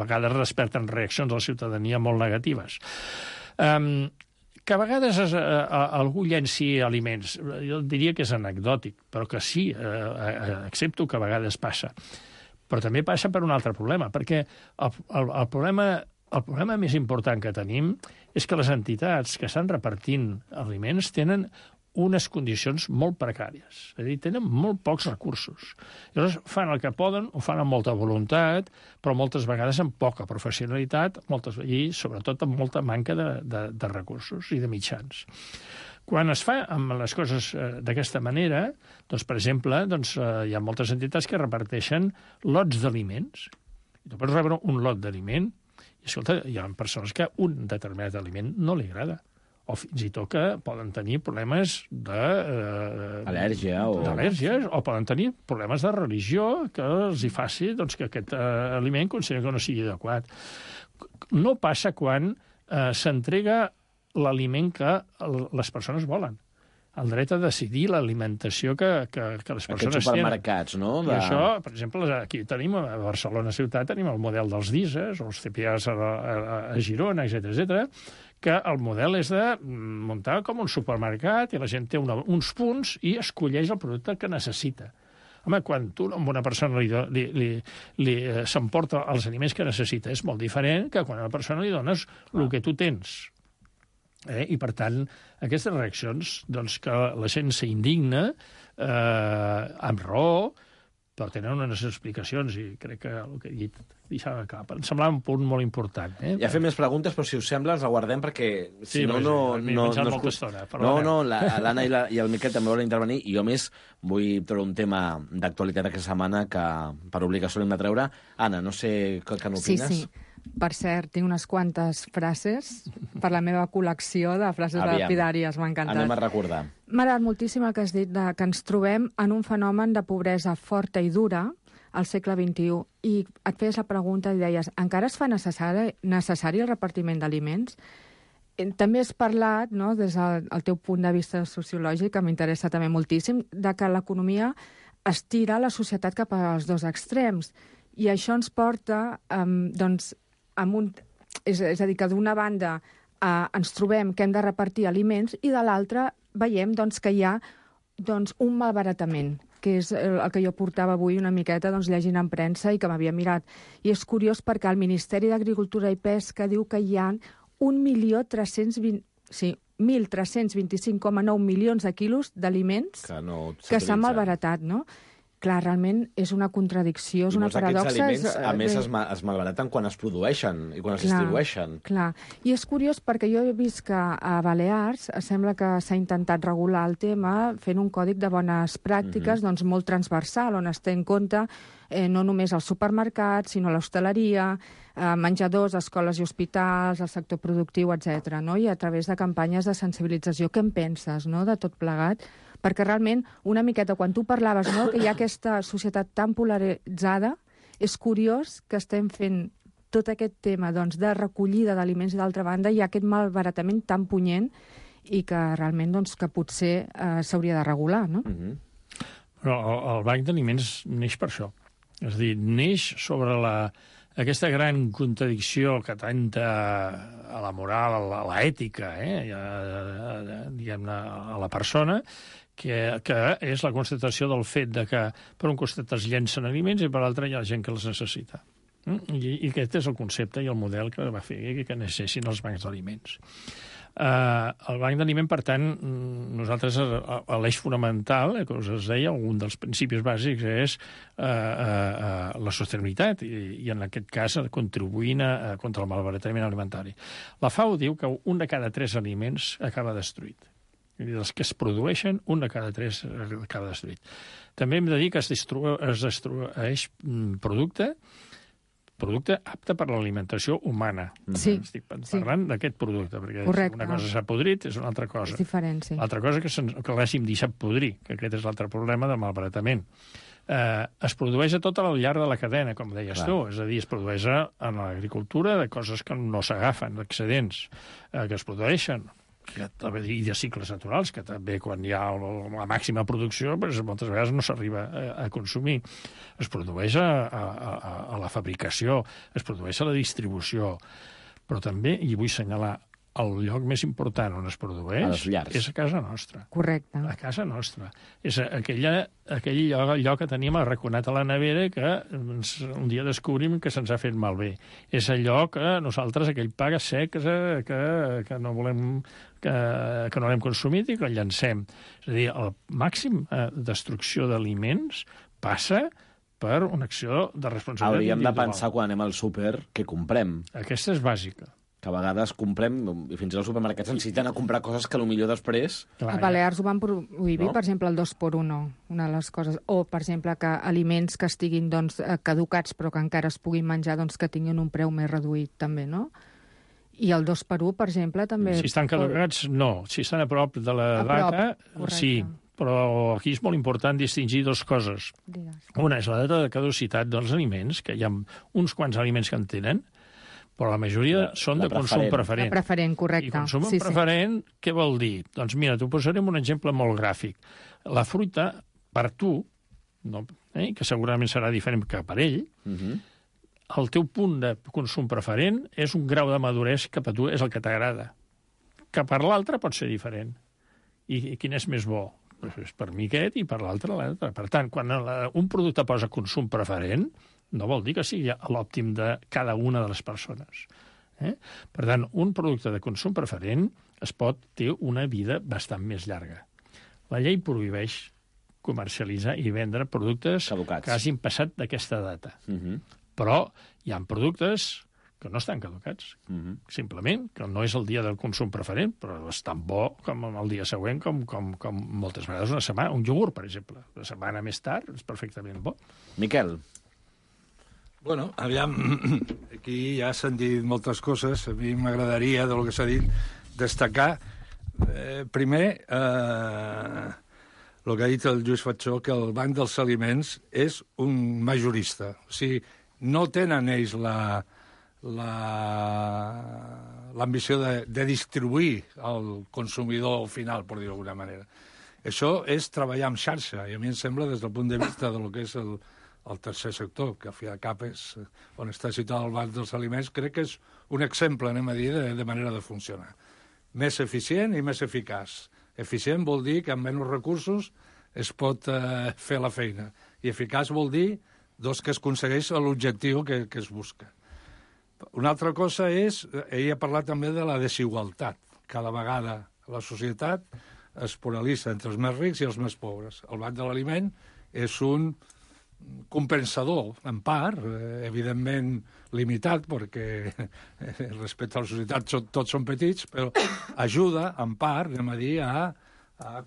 vegades desperten reaccions de la ciutadania molt negatives. Que a vegades algú llenci aliments, jo diria que és anecdòtic, però que sí, accepto que a vegades passa. Però també passa per un altre problema, perquè el problema més important que tenim és que les entitats que estan repartint aliments tenen unes condicions molt precàries. És a dir, tenen molt pocs recursos. Llavors fan el que poden, ho fan amb molta voluntat, però moltes vegades amb poca professionalitat i sobretot amb molta manca de recursos i de mitjans. Quan es fa amb les coses d'aquesta manera, doncs, per exemple, hi ha moltes entitats que reparteixen lots d'aliments. Tu pots rebre un lot d'aliment i, escolta, hi ha persones que un determinat aliment no li agrada. O fins i tot que poden tenir problemes d'al·lèrgies o poden tenir problemes de religió que els hi faci que aquest aliment consideren que no sigui adequat. No passa quan s'entrega l'aliment que les persones volen. El dret a decidir l'alimentació que les persones tenen. Aquests supermercats, no? I això, per exemple, aquí tenim, a Barcelona ciutat, tenim el model dels DISES, o els CPAs a Girona, etc., que el model és de muntar com un supermercat i la gent té uns punts i escolleix el producte que necessita. Home, quan tu a una persona s'emporta els aliments que necessita és molt diferent que quan a una persona li dones el que tu tens. I, per tant, aquestes reaccions, doncs, que la gent s'indigna amb raó, però tenen unes explicacions i crec que el que he dit deixava cap. Em semblava un punt molt important. Ja fem més preguntes, però si us sembla els aguardem perquè si no... M'he menjat molta estona. No, l'Anna i el Miquel també volen intervenir i jo més vull treure un tema d'actualitat aquesta setmana que per obligació l'hem de treure. Anna, no sé què n'opines? Sí. Per cert, tinc unes quantes frases per la meva col·lecció de frases lapidàries. M'ha encantat. Anem a recordar. M'ha agradat moltíssim el que has dit, que ens trobem en un fenomen de pobresa forta i dura al segle XXI. I et feies la pregunta i deies, encara es fa necessari el repartiment d'aliments? També has parlat, no, des del teu punt de vista sociològic, que m'interessa també moltíssim, de que l'economia estira la societat cap als dos extrems. I això ens porta, és a dir, que d'una banda ens trobem que hem de repartir aliments i de l'altra veiem que hi ha un malbaratament, que és el que jo portava avui una miqueta llegint en premsa i que m'havia mirat. I és curiós perquè el Ministeri d'Agricultura i Pesca diu que hi ha 1.325,9 milions de quilos d'aliments que s'han malbaratat, no? clar, realment és una contradicció, és una paradoxa. I molts d'aquests aliments, a més, es malbaraten quan es produeixen i quan es distribueixen. Clar, i és curiós perquè jo he vist que a Balears sembla que s'ha intentat regular el tema fent un còdic de bones pràctiques doncs molt transversal, on es té en compte no només els supermercats, sinó l'hostaleria, menjadors, escoles i hospitals, el sector productiu, etc. No? I a través de campanyes de sensibilització. Què en penses, no?, de tot plegat? Perquè realment, una miqueta, quan tu parlaves, no?, que hi ha aquesta societat tan polaritzada, és curiós que estem fent tot aquest tema doncs, de recollida d'aliments i, d'altra banda, hi ha aquest malbaratament tan punyent i que realment doncs, que potser s'hauria de regular, no? Però el Banc d'Aliments neix per això. És a dir, neix sobre aquesta gran contradicció que tanta a la moral, a l'ètica, diguem-ne, a la persona, que és la constatació del fet de que per un costat es llencen aliments i per l'altre hi ha gent que els necessita. I aquest és el concepte i el model que va fer que necessessin els bancs d'aliments. El banc d'aliment, per tant, nosaltres l'eix fonamental, que us deia, un dels principis bàsics és la sostenibilitat i en aquest cas contribuint contra el malbaratament alimentari. La FAO diu que un de cada 3 aliments acaba destruït. dels que es produeixen, un de cada 3 acaba destruït. També hem de dir que es destrueix producte apte per l'alimentació humana. Sí. Estic parlant d'aquest producte, perquè correcte. Una cosa s'ha podrit, és una altra cosa. És diferent, sí. L'altra cosa que l'hàgim deixat podrir, que aquest és l'altre problema del malbaratament. Es produeix a tot al llarg de la cadena, com deies tu. És a dir, es produeix en l'agricultura de coses que no s'agafen, d'excedents que es produeixen, i de cicles naturals, que també quan hi ha la màxima producció moltes vegades no s'arriba a consumir. Es produeix a la fabricació, es produeix a la distribució, però també, i vull assenyalar, el lloc més important on es produeix és a casa nostra. Correcte. A casa nostra. És aquell lloc que tenim arraconat a la nevera que un dia descobrim que se'ns ha fet malbé. És allò que nosaltres, aquell pa sec que no volem que no l'hem consumit i que el llancem. És a dir, el màxim destrucció d'aliments passa per una acció de responsabilitat individual. Hauríem de pensar quan anem al súper què comprem. Aquesta és bàsica. Que a vegades comprem, i fins i tot els supermercats ens inciten a comprar coses que potser després... A Balears ho van prohibir, per exemple, el 2x1, una de les coses. O, per exemple, que aliments que estiguin caducats però que encara es puguin menjar, que tinguin un preu més reduït, també, no? I el 2x1, per exemple, també... Si estan caducats, no. Si estan a prop de la data, sí. Però aquí és molt important distingir dues coses. Una és la data de caducitat dels aliments, que hi ha uns quants aliments que en tenen, però la majoria són de consum preferent. De preferent, correcte. I consum preferent, què vol dir? Doncs mira, t'ho posaré un exemple molt gràfic. La fruita, per tu, que segurament serà diferent que per ell, el teu punt de consum preferent és un grau de maduresa que per tu és el que t'agrada. Que per l'altre pot ser diferent. I quin és més bo? Doncs per mi aquest i per l'altre l'altre. Per tant, quan un producte posa consum preferent, no vol dir que sigui l'òptim de cada una de les persones. Per tant, un producte de consum preferent té una vida bastant més llarga. La llei prohibeix comercialitzar i vendre productes caducats que hagin passat d'aquesta data. Però hi ha productes que no estan caducats. Simplement, que no és el dia del consum preferent, però és tan bo com el dia següent, com moltes vegades una setmana. Un iogurt, per exemple. Una setmana més tard és perfectament bo. Miquel. Bueno, aviam, aquí ja s'han dit moltes coses. A mi m'agradaria, del que s'ha dit, destacar, primer, el que ha dit el Lluís Fatxó, que el Banc dels Aliments és un majorista. O sigui, no tenen ells l'ambició de distribuir al consumidor final, per dir-ho d'alguna manera. Això és treballar en xarxa, i a mi em sembla, des del punt de vista del que és el tercer sector, que al fi de cap és on està situat el Banc dels Aliments, crec que és un exemple, anem a dir, de manera de funcionar. Més eficient i més eficaç. Eficient vol dir que amb menys recursos es pot fer la feina. I eficaç vol dir que es aconsegueix l'objectiu que es busca. Una altra cosa és, ell ha parlat també de la desigualtat. Cada vegada la societat es polaritza entre els més rics i els més pobres. El Banc de l'Aliment és un compensador, en part, evidentment limitat, perquè respecte a la societat tots són petits, però ajuda, en part, anem a dir, a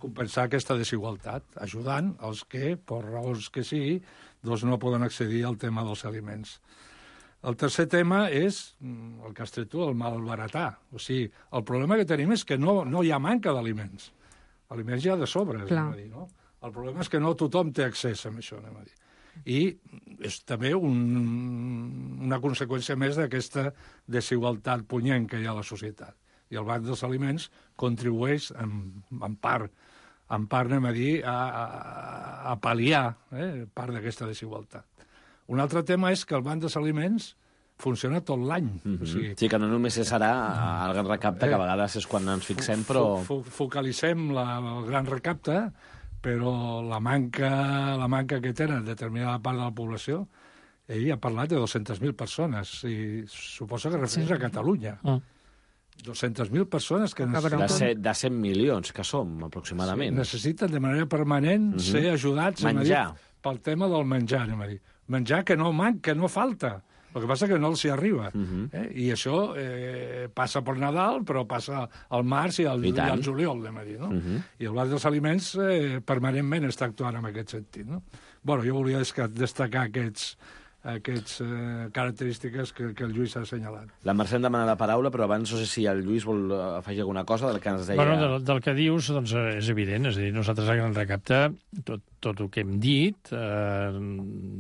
compensar aquesta desigualtat, ajudant els que, per raons que sigui, doncs no poden accedir al tema dels aliments. El tercer tema és el que has tret tu, el malbaratar. O sigui, el problema que tenim és que no hi ha manca d'aliments. Aliments hi ha de sobres, anem a dir, no? El problema és que no tothom té accés a això, anem a dir. I és també una conseqüència més d'aquesta desigualtat punyent que hi ha a la societat. I el Banc dels Aliments contribueix, en part, anem a dir, a pal·liar part d'aquesta desigualtat. Un altre tema és que el Banc dels Aliments funciona tot l'any. O sigui, sí, que no només serà el gran recapte, que a vegades és quan ens fixem, però... Focalitzem el gran recapte, però la manca que tenen determinada part de la població, ell ha parlat de 200.000 persones, i suposa que refereix a Catalunya. 200.000 persones que necessiten... De 100 milions que som, aproximadament. Sí, necessiten de manera permanent ser ajudats pel tema del menjar, anem a dir. Menjar que no falta. El que passa que no els hi arriba. I això passa per Nadal, però passa al març i al juliol, anem a dir, no? I el Banc dels Aliments permanentment està actuant en aquest sentit, no? Bueno, jo volia destacar aquestes característiques que el Lluís ha assenyalat. La Mercè em demana la paraula, però abans no sé si el Lluís vol afegir alguna cosa del que ens deia... Bueno, del que dius, doncs, és evident. És a dir, nosaltres a Gran Recapte, tot el que hem dit,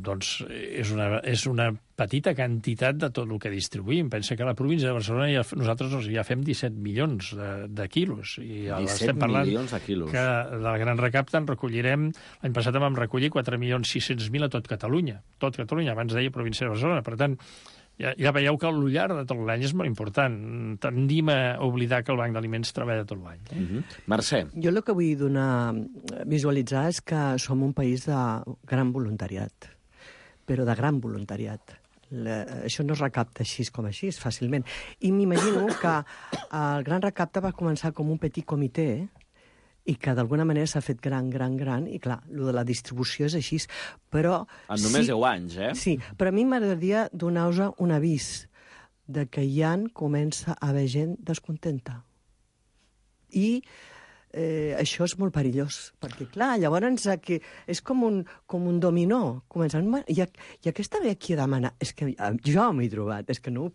doncs, és una petita quantitat de tot el que distribuïm. Pensa que a la província de Barcelona nosaltres ja fem 17 milions de quilos. I 17 milions de quilos. Que del Gran Recapte en recollirem... L'any passat vam recollir 4.600.000 a tot Catalunya. Tot Catalunya, abans deia província de Barcelona. Per tant, ja veieu que l'ullar de tot l'any és molt important. Tendim a oblidar que el Banc d'Aliments treballa tot l'any. Mercè. Jo el que vull visualitzar és que som un país de gran voluntariat, però de gran voluntariat. Això no es recapta així com així, fàcilment. I m'imagino que el Gran Recapte va començar com un petit comitè i que d'alguna manera s'ha fet gran, i clar, el de la distribució és així, però... En només 10 anys, eh? Sí, però a mi m'agradaria donar-vos un avís de que ja comença a haver gent descontenta. I això és molt perillós, perquè, clar, llavors és com un dominó. Començant, i aquesta ve aquí a demanar... És que jo m'he trobat, és que no...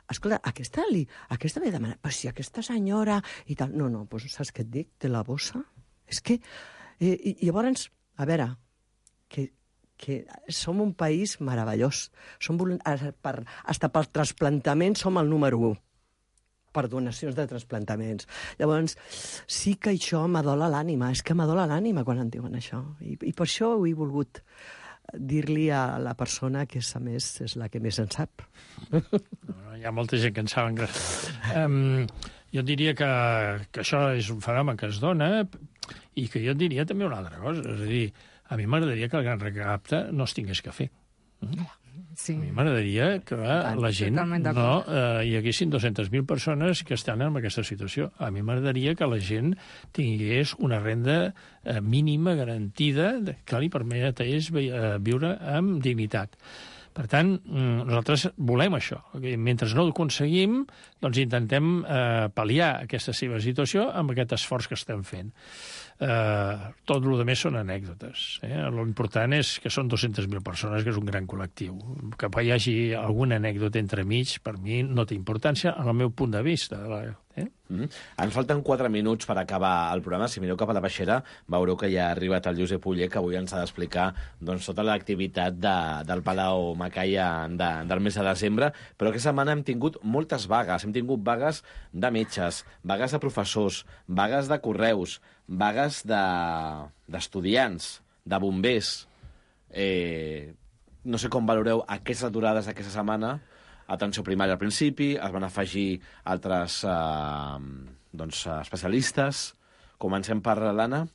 Escolta, aquesta ve a demanar, però si aquesta senyora i tal... No, doncs saps què et dic? De la bossa? És que... I llavors, a veure, que som un país meravellós. Hasta pel trasplantament som el número 1. Per donacions de trasplantaments. Llavors, sí que això m'adola l'ànima. És que m'adola l'ànima quan em diuen això. I per això ho he volgut dir-li a la persona que, a més, és la que més en sap. Hi ha molta gent que en saben. Jo diria que això és un fenomen que es dona i que jo diria també una altra cosa. És a dir, a mi m'agradaria que el Gran Recapte no es tingués que fer. Sí. A mi m'agradaria que la gent no hi haguessin 200.000 persones que estan en aquesta situació. A mi m'agradaria que la gent tingués una renda mínima garantida que li permetés viure amb dignitat. Per tant, nosaltres volem això. Mentre no ho aconseguim, doncs intentem pal·liar aquesta seva situació amb aquest esforç que estem fent. Tot el més són anècdotes. L'important és que són 200.000 persones, que és un gran col·lectiu. Que hi hagi alguna anècdota entremig, per mi no té importància, en el meu punt de vista. Ens falten 4 minuts per acabar el programa. Si mireu cap a la baixera, veureu que ja ha arribat el Josep Uller, que avui ens ha d'explicar tota l'activitat del Palau Macaya del mes de desembre. Però aquesta setmana hem tingut moltes vagues. Hem tingut vagues de metges, vagues de professors, vagues de correus, vagues d'estudiants, de bombers. No sé com valoreu aquestes aturades d'aquesta setmana. Atenció primària al principi, es van afegir altres especialistes. Comencem per l'Anna.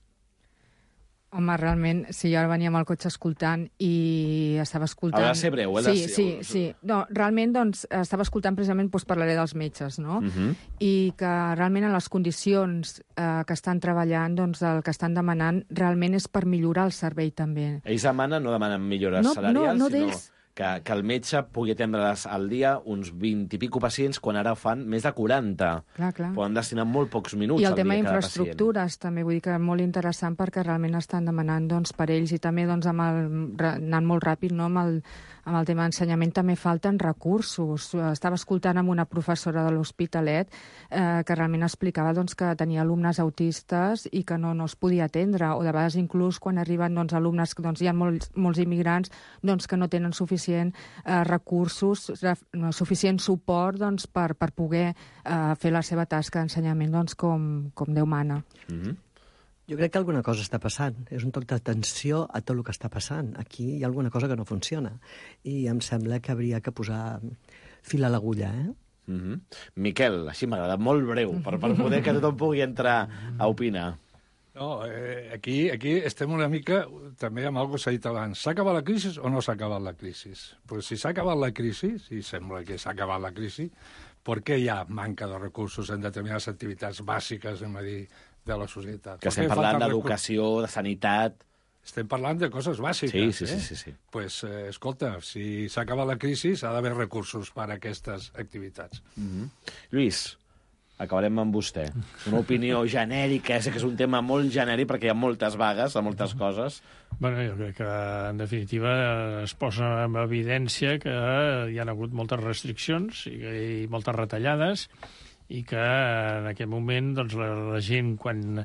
Home, realment, si jo ara venia amb el cotxe escoltant i estava escoltant... Ha de ser breu, Sí. No, realment, doncs, estava escoltant precisament, doncs, parlaré dels metges, no? I que realment en les condicions que estan treballant, doncs, el que estan demanant realment és per millorar el servei també. Ells no demanen millores salarials, sinó que el metge pugui atendre al dia uns 20 i pico pacients, quan ara fan més de 40. Clar. Poden destinar molt pocs minuts I el al dia tema cada d'infraestructures, també, vull dir que molt interessant perquè realment estan demanant doncs, per ells i també doncs, anant molt ràpid, no? Amb el tema d'ensenyament també falten recursos. Estava escoltant amb una professora de l'Hospitalet que realment explicava doncs, que tenia alumnes autistes i que no es podia atendre, o de vegades inclús quan arriben doncs, alumnes, doncs, hi ha molts immigrants doncs, que no tenen suficient recursos, suficient suport doncs, per poder fer la seva tasca d'ensenyament doncs, com Déu mana. Jo crec que alguna cosa està passant. És un toc d'atenció a tot el que està passant. Aquí hi ha alguna cosa que no funciona. I em sembla que hauria que posar fil a l'agulla, Miquel, així m'agrada, molt breu, per poder que tothom pugui entrar a opinar. No, aquí estem una mica també amb alguna cosa s'ha dit abans. S'ha acabat la crisi o no s'ha acabat la crisi? Pues si s'ha acabat la crisi, i sembla que s'ha acabat la crisi, per què hi ha manca de recursos en determinades activitats bàsiques, de la societat? Que estem parlant d'educació, de sanitat... Estem parlant de coses bàsiques. Sí. Pues, escolta, si s'ha acabat la crisi, s'ha d'haver recursos per a aquestes activitats. Lluís, acabarem amb vostè. Una opinió genèrica, sé que és un tema molt genèric perquè hi ha moltes vagues a moltes coses. Bueno, jo crec que, en definitiva, es posa en evidència que hi ha hagut moltes restriccions i moltes retallades, i que en aquest moment doncs, la gent, quan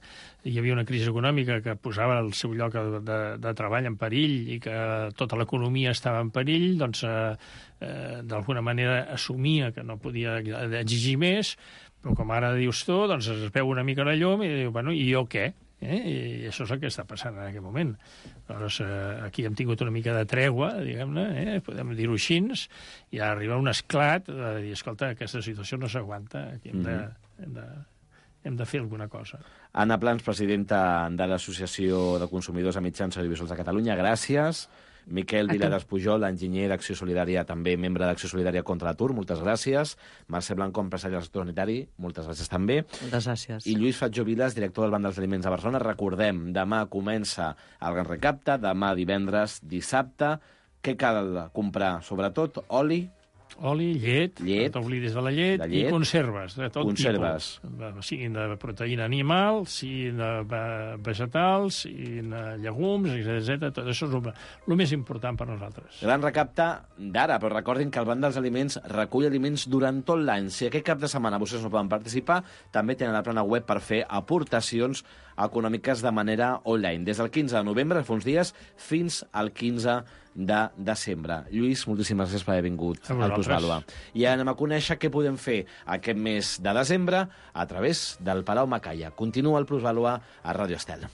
hi havia una crisi econòmica que posava el seu lloc de treball en perill i que tota l'economia estava en perill, doncs d'alguna manera assumia que no podia exigir més, però com ara dius tu, doncs es veu una mica la llum i diu, bueno, i jo què? I això és el que està passant en aquest moment. Llavors, aquí hem tingut una mica de tregua, diguem-ne, podem dir-ho així, i arriba un esclat de dir, escolta, aquesta situació no s'aguanta, aquí hem de fer alguna cosa. Anna Plans, presidenta de l'Associació de Consumidors a Mitjans Audiovisuals de Catalunya, gràcies. Miquel Viladas Pujol, enginyer d'Acció Solidària, també membre d'Acció Solidària contra l'Atur, moltes gràcies. Mercè Blanco, empresari del sector sanitari, moltes gràcies també. Moltes gràcies. I Lluís Fatjó Vilas, director del Banc dels Aliments de Barcelona. Recordem, demà comença el Gran Recapte, demà divendres, dissabte. Què cal comprar? Sobretot, oli, llet, no t'oblidis de la llet, i conserves de tot tipus. Siguin de proteïna animal, siguin de vegetals, siguin de llegums, etc. Tot això és el més important per nosaltres. Gran recapte d'ara, però recordin que el Banc dels Aliments recull aliments durant tot l'any. Si aquest cap de setmana vostès no poden participar, també tenen la plana web per fer aportacions econòmiques de manera online. Des del 15 de novembre, fa uns dies, fins al 15 de desembre. Lluís, moltíssimes gràcies per haver vingut al Plusvàlua. I anem a conèixer què podem fer aquest mes de desembre a través del Palau Macaya. Continua el Plusvàlua a Ràdio Estel.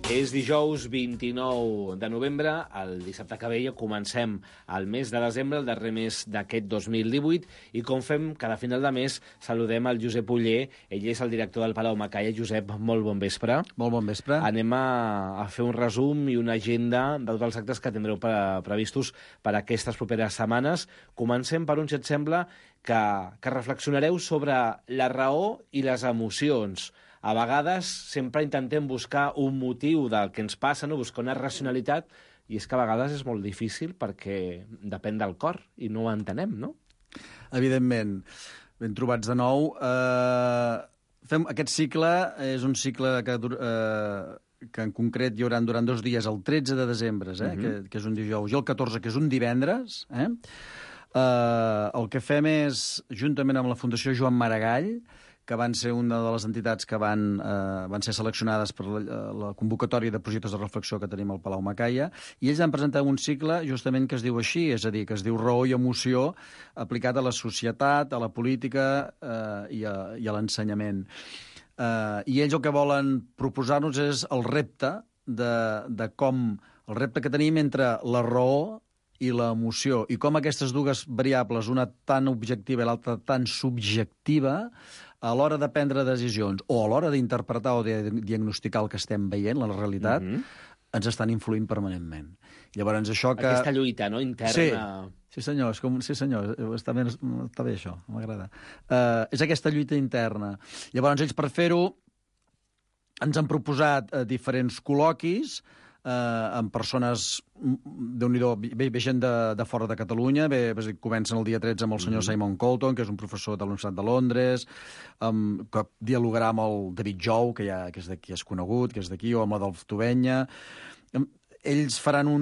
És dijous 29 de novembre, el dissabte que ve ja comencem el mes de desembre, el darrer mes d'aquest 2018, i com fem cada final de mes, saludem el Josep Oller, ell és el director del Palau Macaya. Josep, molt bon vespre. Molt bon vespre. Anem a fer un resum i una agenda de tots els actes que tindreu previstos per aquestes properes setmanes. Comencem per un, si et sembla, que reflexionareu sobre la raó i les emocions. A vegades sempre intentem buscar un motiu del que ens passa, no? Buscar una racionalitat, i és que a vegades és molt difícil perquè depèn del cor i no ho entenem, no? Evidentment. Ben trobats de nou. Aquest cicle és un cicle que en concret hi haurà durant 2 dies, el 13 de desembre, que és un dijous, i el 14, que és un divendres. El que fem és, juntament amb la Fundació Joan Maragall, que van ser una de les entitats que van ser seleccionades per la convocatòria de projectes de reflexió que tenim al Palau Macaya, i ells han presentat un cicle justament que es diu així, és a dir, que es diu Raó i Emoció, aplicat a la societat, a la política i a l'ensenyament. I ells el que volen proposar-nos és el repte de com el repte que tenim entre la raó i l'emoció, i com aquestes dues variables, una tan objectiva i l'altra tan subjectiva, a l'hora de prendre decisions o a l'hora d'interpretar o de diagnosticar el que estem veient, la realitat, ens estan influint permanentment. Llavors, això que... Aquesta lluita, no?, interna... Sí, senyor, sí, senyor, està bé això, m'agrada. És aquesta lluita interna. Llavors, ells, per fer-ho, ens han proposat diferents col·loquis amb persones, Déu-n'hi-do, ve gent de fora de Catalunya, comencen el dia 13 amb el senyor Simon Colton, que és un professor de la Universitat de Londres, que dialogarà amb el David Jou, que és d'aquí, és conegut, que és d'aquí, o amb l'Adolf Tubenya. Ells faran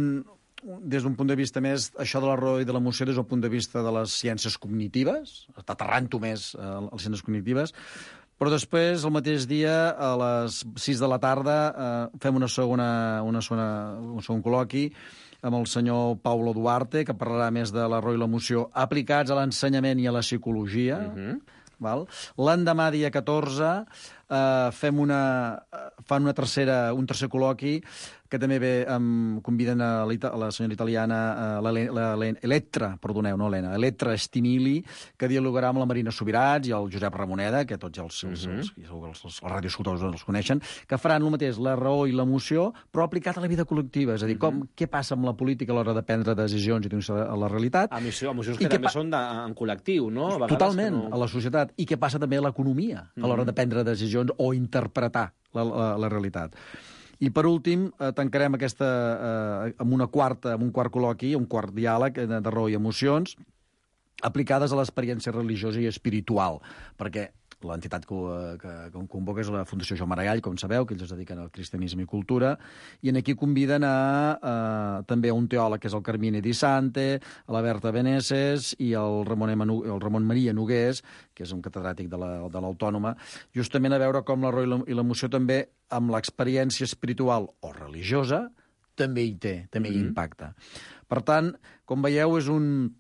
des d'un punt de vista més, això de la raó i de l'emoció, des del punt de vista de les ciències cognitives, aterrant-ho més a les ciències cognitives, però després, el mateix dia, a les 6 de la tarda, fem un segon col·loqui amb el senyor Paulo Duarte, que parlarà més de la raó i l'emoció aplicats a l'ensenyament i a la psicologia. L'endemà, dia 14, fan un tercer col·loqui que també conviden a la senyora italiana Elettra Stimili, que dialogarà amb la Marina Subirats i el Josep Ramoneda, que tots els radioescoltadors els coneixen, que faran el mateix, la raó i l'emoció, però aplicat a la vida col·lectiva. És a dir, què passa amb la política a l'hora de prendre decisions i a la realitat. Emocions que també són en col·lectiu, no? Totalment, a la societat. I què passa també a l'economia a l'hora de prendre decisions o interpretar la realitat. I, per últim, tancarem amb un quart col·loqui, un quart diàleg de raó i emocions, aplicades a l'experiència religiosa i espiritual, perquè l'entitat que convoca és la Fundació Joan Maragall, com sabeu, que ells es dediquen al cristianisme i cultura, i aquí conviden també a un teòleg, que és el Carmine Di Sante, a la Berta Beneses i el Ramon Maria Nogués, que és un catedràtic de l'Autònoma, justament a veure com la raó i l'emoció també, amb l'experiència espiritual o religiosa, també hi impacta. Per tant, com veieu, és un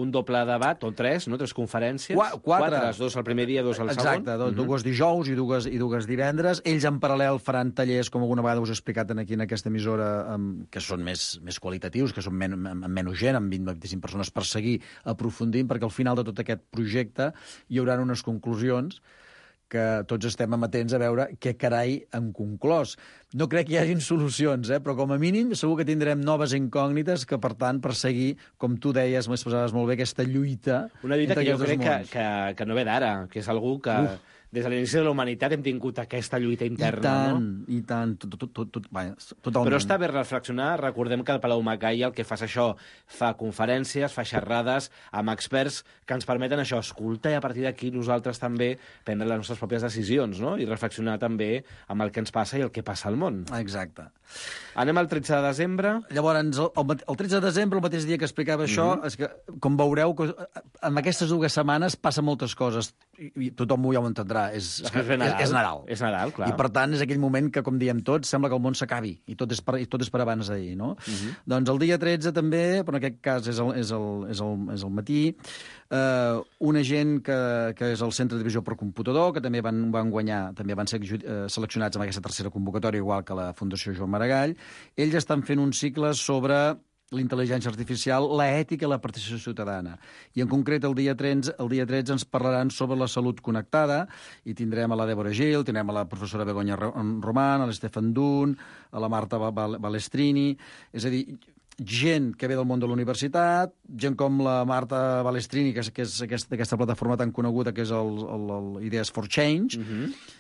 doble debat, o tres, no? 3 conferències. 4. 2 el primer dia, 2 el segon. Exacte, 2 dijous i 2 divendres. Ells en paral·lel faran tallers, com alguna vegada us he explicat aquí en aquesta emissora, que són més qualitatius, que són amb menys gent, amb 20-25 persones per seguir aprofundint, perquè al final de tot aquest projecte hi haurà unes conclusions que tots estem amatents a veure què carai hem conclòs. No crec que hi hagin solucions, però com a mínim segur que tindrem noves incògnites que, per tant, per seguir, com tu deies, m'expressaves molt bé, aquesta lluita... Una lluita que jo crec que no ve d'ara, que és algú que... Des de l'inici de la humanitat hem tingut aquesta lluita interna, no? I tant, totalment. Però està bé reflexionar. Recordem que el Palau Macaya el que fa és això, fa conferències, fa xerrades amb experts que ens permeten això, escoltar, i a partir d'aquí nosaltres també prendre les nostres pròpies decisions, no? I reflexionar també amb el que ens passa i el que passa al món. Exacte. Anem al 13 de desembre. Llavors, el 13 de desembre, el mateix dia que explicava això, és que, com veureu, en aquestes 2 setmanes passen moltes coses, i tothom ja ho entendrà. És Nadal. És Nadal, clar. I, per tant, és aquell moment que, com diem tots, sembla que el món s'acabi, i tot és per abans d'ahir, no? Doncs el dia 13 també, però en aquest cas és el matí, una gent que és el Centre de Visió per Computador, que també van guanyar, també van ser seleccionats en aquesta tercera convocatòria, igual que la Fundació Joan Maragall. Ells estan fent un cicle sobre l'intel·ligència artificial, l'ètica i la participació ciutadana. I en concret el dia 13 ens parlaran sobre la salut connectada i tindrem a la Débora Gil, tindrem a la professora Begoña Román, a l'Stefan Dunn, a la Marta Balestrini, és a dir, gent que ve del món de la universitat, gent com la Marta Balestrini, que és aquesta plataforma tan coneguda que és el Ideas for Change,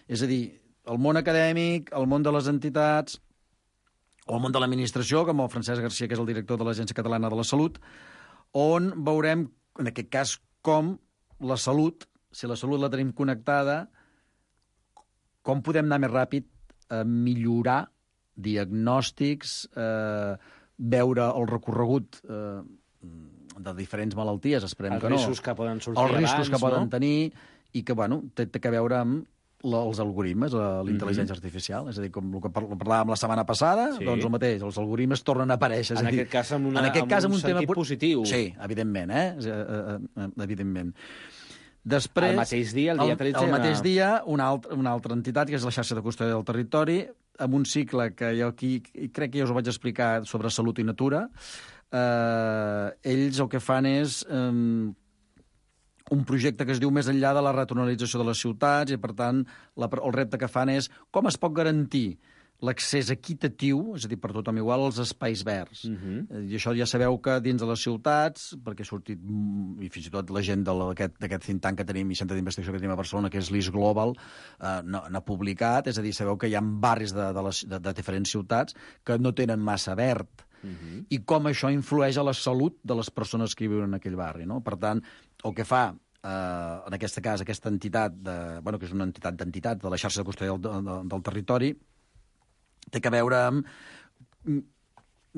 és a dir, el món acadèmic, el món de les entitats, o el món de l'administració, com el Francesc Garcia, que és el director de l'Agència Catalana de la Salut, on veurem, en aquest cas, com la salut, si la salut la tenim connectada, com podem anar més ràpid a millorar diagnòstics, veure el recorregut de diferents malalties, esperem que no. Els riscos que poden sortir abans, els riscos que poden tenir, i que, té a veure amb els algoritmes, l'intel·ligència artificial. És a dir, com el que parlàvem la setmana passada, doncs el mateix, els algoritmes tornen a aparèixer. En aquest cas, amb un sentit positiu. Sí, evidentment, evidentment. Després, el mateix dia, el dia 13... El mateix dia, una altra entitat, que és la xarxa de custòdia del territori, amb un cicle que jo aquí crec que ja us ho vaig explicar sobre salut i natura. Ells el que fan és un projecte que es diu Més enllà de la ratonalització de les ciutats i, per tant, el repte que fan és com es pot garantir l'accés equitatiu, és a dir, per tothom igual, als espais verds. I això ja sabeu que dins de les ciutats, perquè ha sortit, i fins i tot la gent d'aquest think tank que tenim i centre d'investigació que tenim a Barcelona, que és l'East Global, n'ha publicat, és a dir, sabeu que hi ha barris de diferents ciutats que no tenen massa verd, i com això influeix a la salut de les persones que viuen en aquell barri, no? Per tant, el que fa en aquest cas aquesta entitat, que és una entitat d'entitats de la xarxa de custòdia del territori, té a veure amb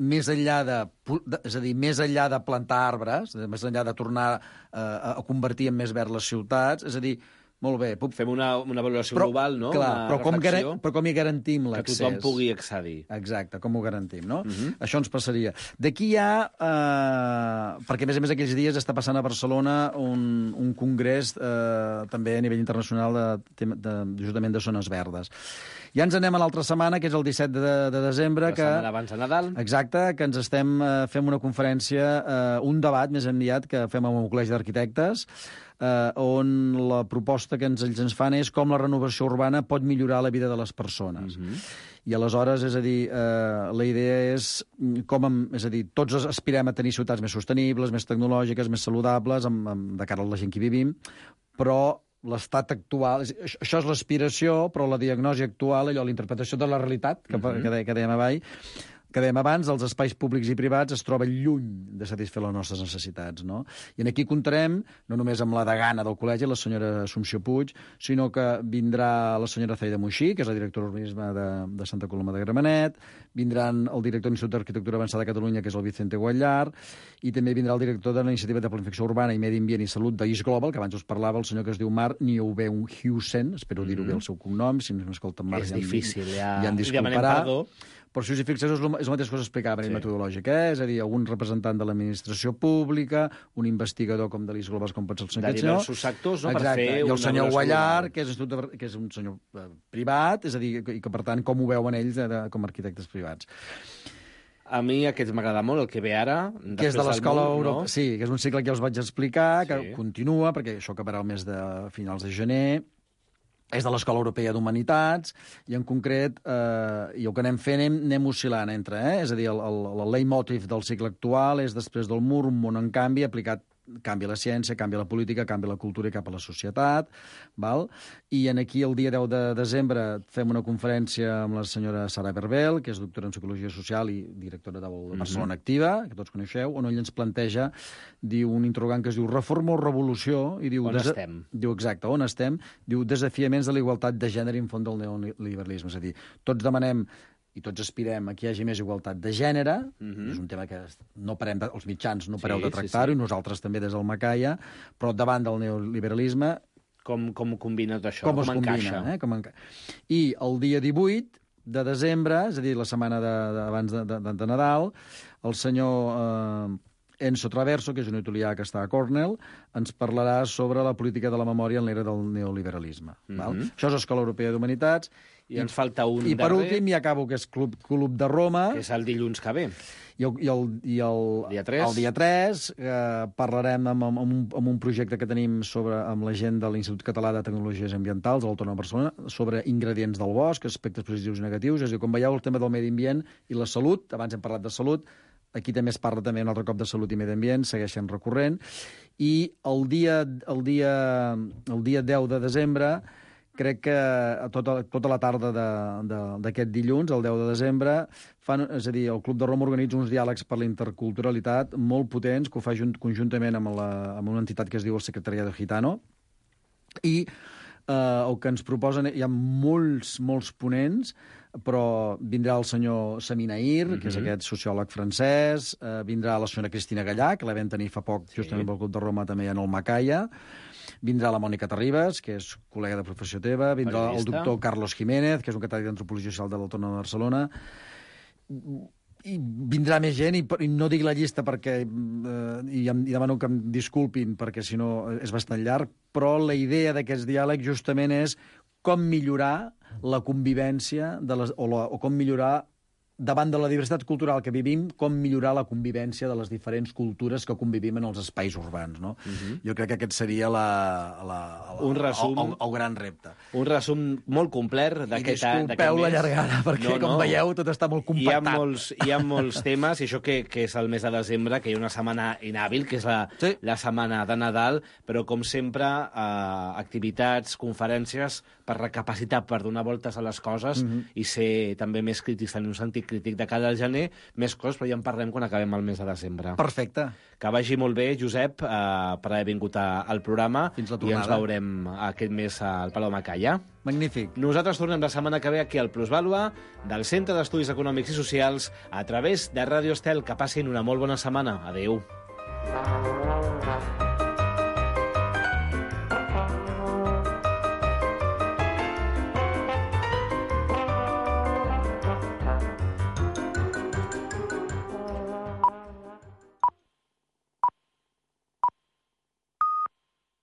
més enllà de plantar arbres, més enllà de tornar a convertir en més verd les ciutats, és a dir, molt bé... Fem una valoració global, no? Clar, però com hi garantim l'accés? Que tothom pugui accedir. Exacte, com ho garantim, no? Això ens passaria. D'aquí hi ha... perquè, a més aquells dies està passant a Barcelona un congrés també a nivell internacional justament de zones verdes. Ja ens anem a l'altra setmana, que és el 17 de desembre. La setmana abans de Nadal. Exacte, que ens fem una conferència, un debat més enviat que fem amb un col·legi d'arquitectes, on la proposta que ells ens fan és com la renovació urbana pot millorar la vida de les persones. I aleshores, és a dir, la idea és tots aspirem a tenir ciutats més sostenibles, més tecnològiques, més saludables, de cara a la gent que hi vivim, però l'estat actual... Això és l'aspiració, però la diagnosi actual, la interpretació de la realitat, que dèiem abans, els espais públics i privats es troben lluny de satisfer les nostres necessitats, no? I aquí comptarem, no només amb la degana del col·legi, la senyora Assumpció Puig, sinó que vindrà la senyora Zaida Moixí, que és la directora d'Urbanisme de Santa Coloma de Gramenet, vindran el director de l'Institut d'Arquitectura Avançada de Catalunya, que és el Vicente Guallar, i també vindrà el director de la Iniciativa de Planificació Urbana i Medi Ambient i Salut d'East Global, que abans us parlava, el senyor que es diu Marc Nieuwenhuisen, espero dir-ho bé el seu cognom, si no m'escolten Marc és difícil, ja em disculparà. Però si us hi fixeu, és la mateixa cosa que explicava a nivell metodològic, és a dir, algun representant de l'administració pública, un investigador com de l'East Global, com pot ser el senyor... De diversos sectors, no?, per fer i el senyor Guallar, que és un senyor privat, és a dir, i que, per tant, com ho veuen ells com a arquitectes privats. A mi aquest m'agrada molt, el que ve ara, que és de l'Escola Europea. Sí, que és un cicle que ja us vaig explicar, que continua, perquè això acabarà el mes de finals de gener, és de l'Escola Europea d'Humanitats, i en concret, i el que anem fent, anem oscil·lant entre, és a dir, el leitmotiv del cicle actual és després del mur, un món en canvi, aplicat canvia la ciència, canvia la política, canvia la cultura i cap a la societat, val? I aquí el dia 10 de desembre fem una conferència amb la senyora Sara Berbel, que és doctora en Psicologia Social i directora de Barcelona Activa, que tots coneixeu, on ell ens planteja, diu un interrogant que es diu Reforma o Revolució, i diu... On estem? Diu, exacte, on estem? Diu Desafiaments de la igualtat de gènere en font del neoliberalisme, és a dir, tots demanem i tots aspirem a que hi hagi més igualtat de gènere, és un tema que no parem els mitjans no pareu de tractar-ho, i nosaltres també des del Macaia, però davant del neoliberalisme... Com combina tot això? Com es combina? I el dia 18 de desembre, és a dir, la setmana abans de Nadal, el senyor Enzo Traverso, que és un italià que està a Cornell, ens parlarà sobre la política de la memòria en l'era del neoliberalisme. Això és l'Escola Europea d'Humanitats. I ens falta un darrer. I per últim, ja acabo, que és Club de Roma. Que és el dilluns que ve. I el dia 3 parlarem amb un projecte que tenim amb la gent de l'Institut Català de Tecnologies Ambientals de l'Autònoma de Barcelona sobre ingredients del bosc, aspectes positius i negatius. És a dir, com veieu, el tema del medi ambient i la salut, abans hem parlat de salut, aquí també es parla també un altre cop de salut i medi ambient, segueixen recorrent. I el dia 10 de desembre, crec que tota la tarda d'aquest dilluns, el 10 de desembre, és a dir, el Club de Roma organitza uns diàlegs per la interculturalitat molt potents, que ho fa conjuntament amb una entitat que es diu el Secretariado Gitano, i el que ens proposen, hi ha molts ponents, però vindrà el senyor Saminair, que és aquest sociòleg francès, vindrà la senyora Cristina Gallà, que la vam tenir fa poc, justament pel Club de Roma, també en el Macaia, vindrà la Mònica Terribas, que és col·lega de professió teva, vindrà el doctor Carlos Jiménez, que és un catedràtic d'Antropologia Social de l'Autònoma de Barcelona, i vindrà més gent, i no dic la llista perquè i demano que em disculpin, perquè si no és bastant llarg, però la idea d'aquests diàlegs justament és com millorar la convivència o com millorar davant de la diversitat cultural que vivim, com millorar la convivència de les diferents cultures que convivim en els espais urbans, no? Jo crec que aquest seria un resum, el gran repte. Un resum molt complet d'aquest mes. I disculpeu la llargada, perquè, com veieu, tot està molt compactat. Hi ha molts temes, i això que és el mes de desembre, que hi ha una setmana inhàbil, que és la setmana de Nadal, però, com sempre, activitats, conferències, per recapacitar, per donar voltes a les coses i ser també més crítics, tenir un sentit crític de cara al gener, més coses, però ja en parlem quan acabem el mes de desembre. Perfecte. Que vagi molt bé, Josep, per haver vingut al programa. Fins la tornada. I ens veurem aquest mes al Palau Macaya. Magnífic. Nosaltres tornem la setmana que ve aquí al Plusvàlua, del Centre d'Estudis Econòmics i Socials, a través de Ràdio Estel. Que passin una molt bona setmana. Adéu.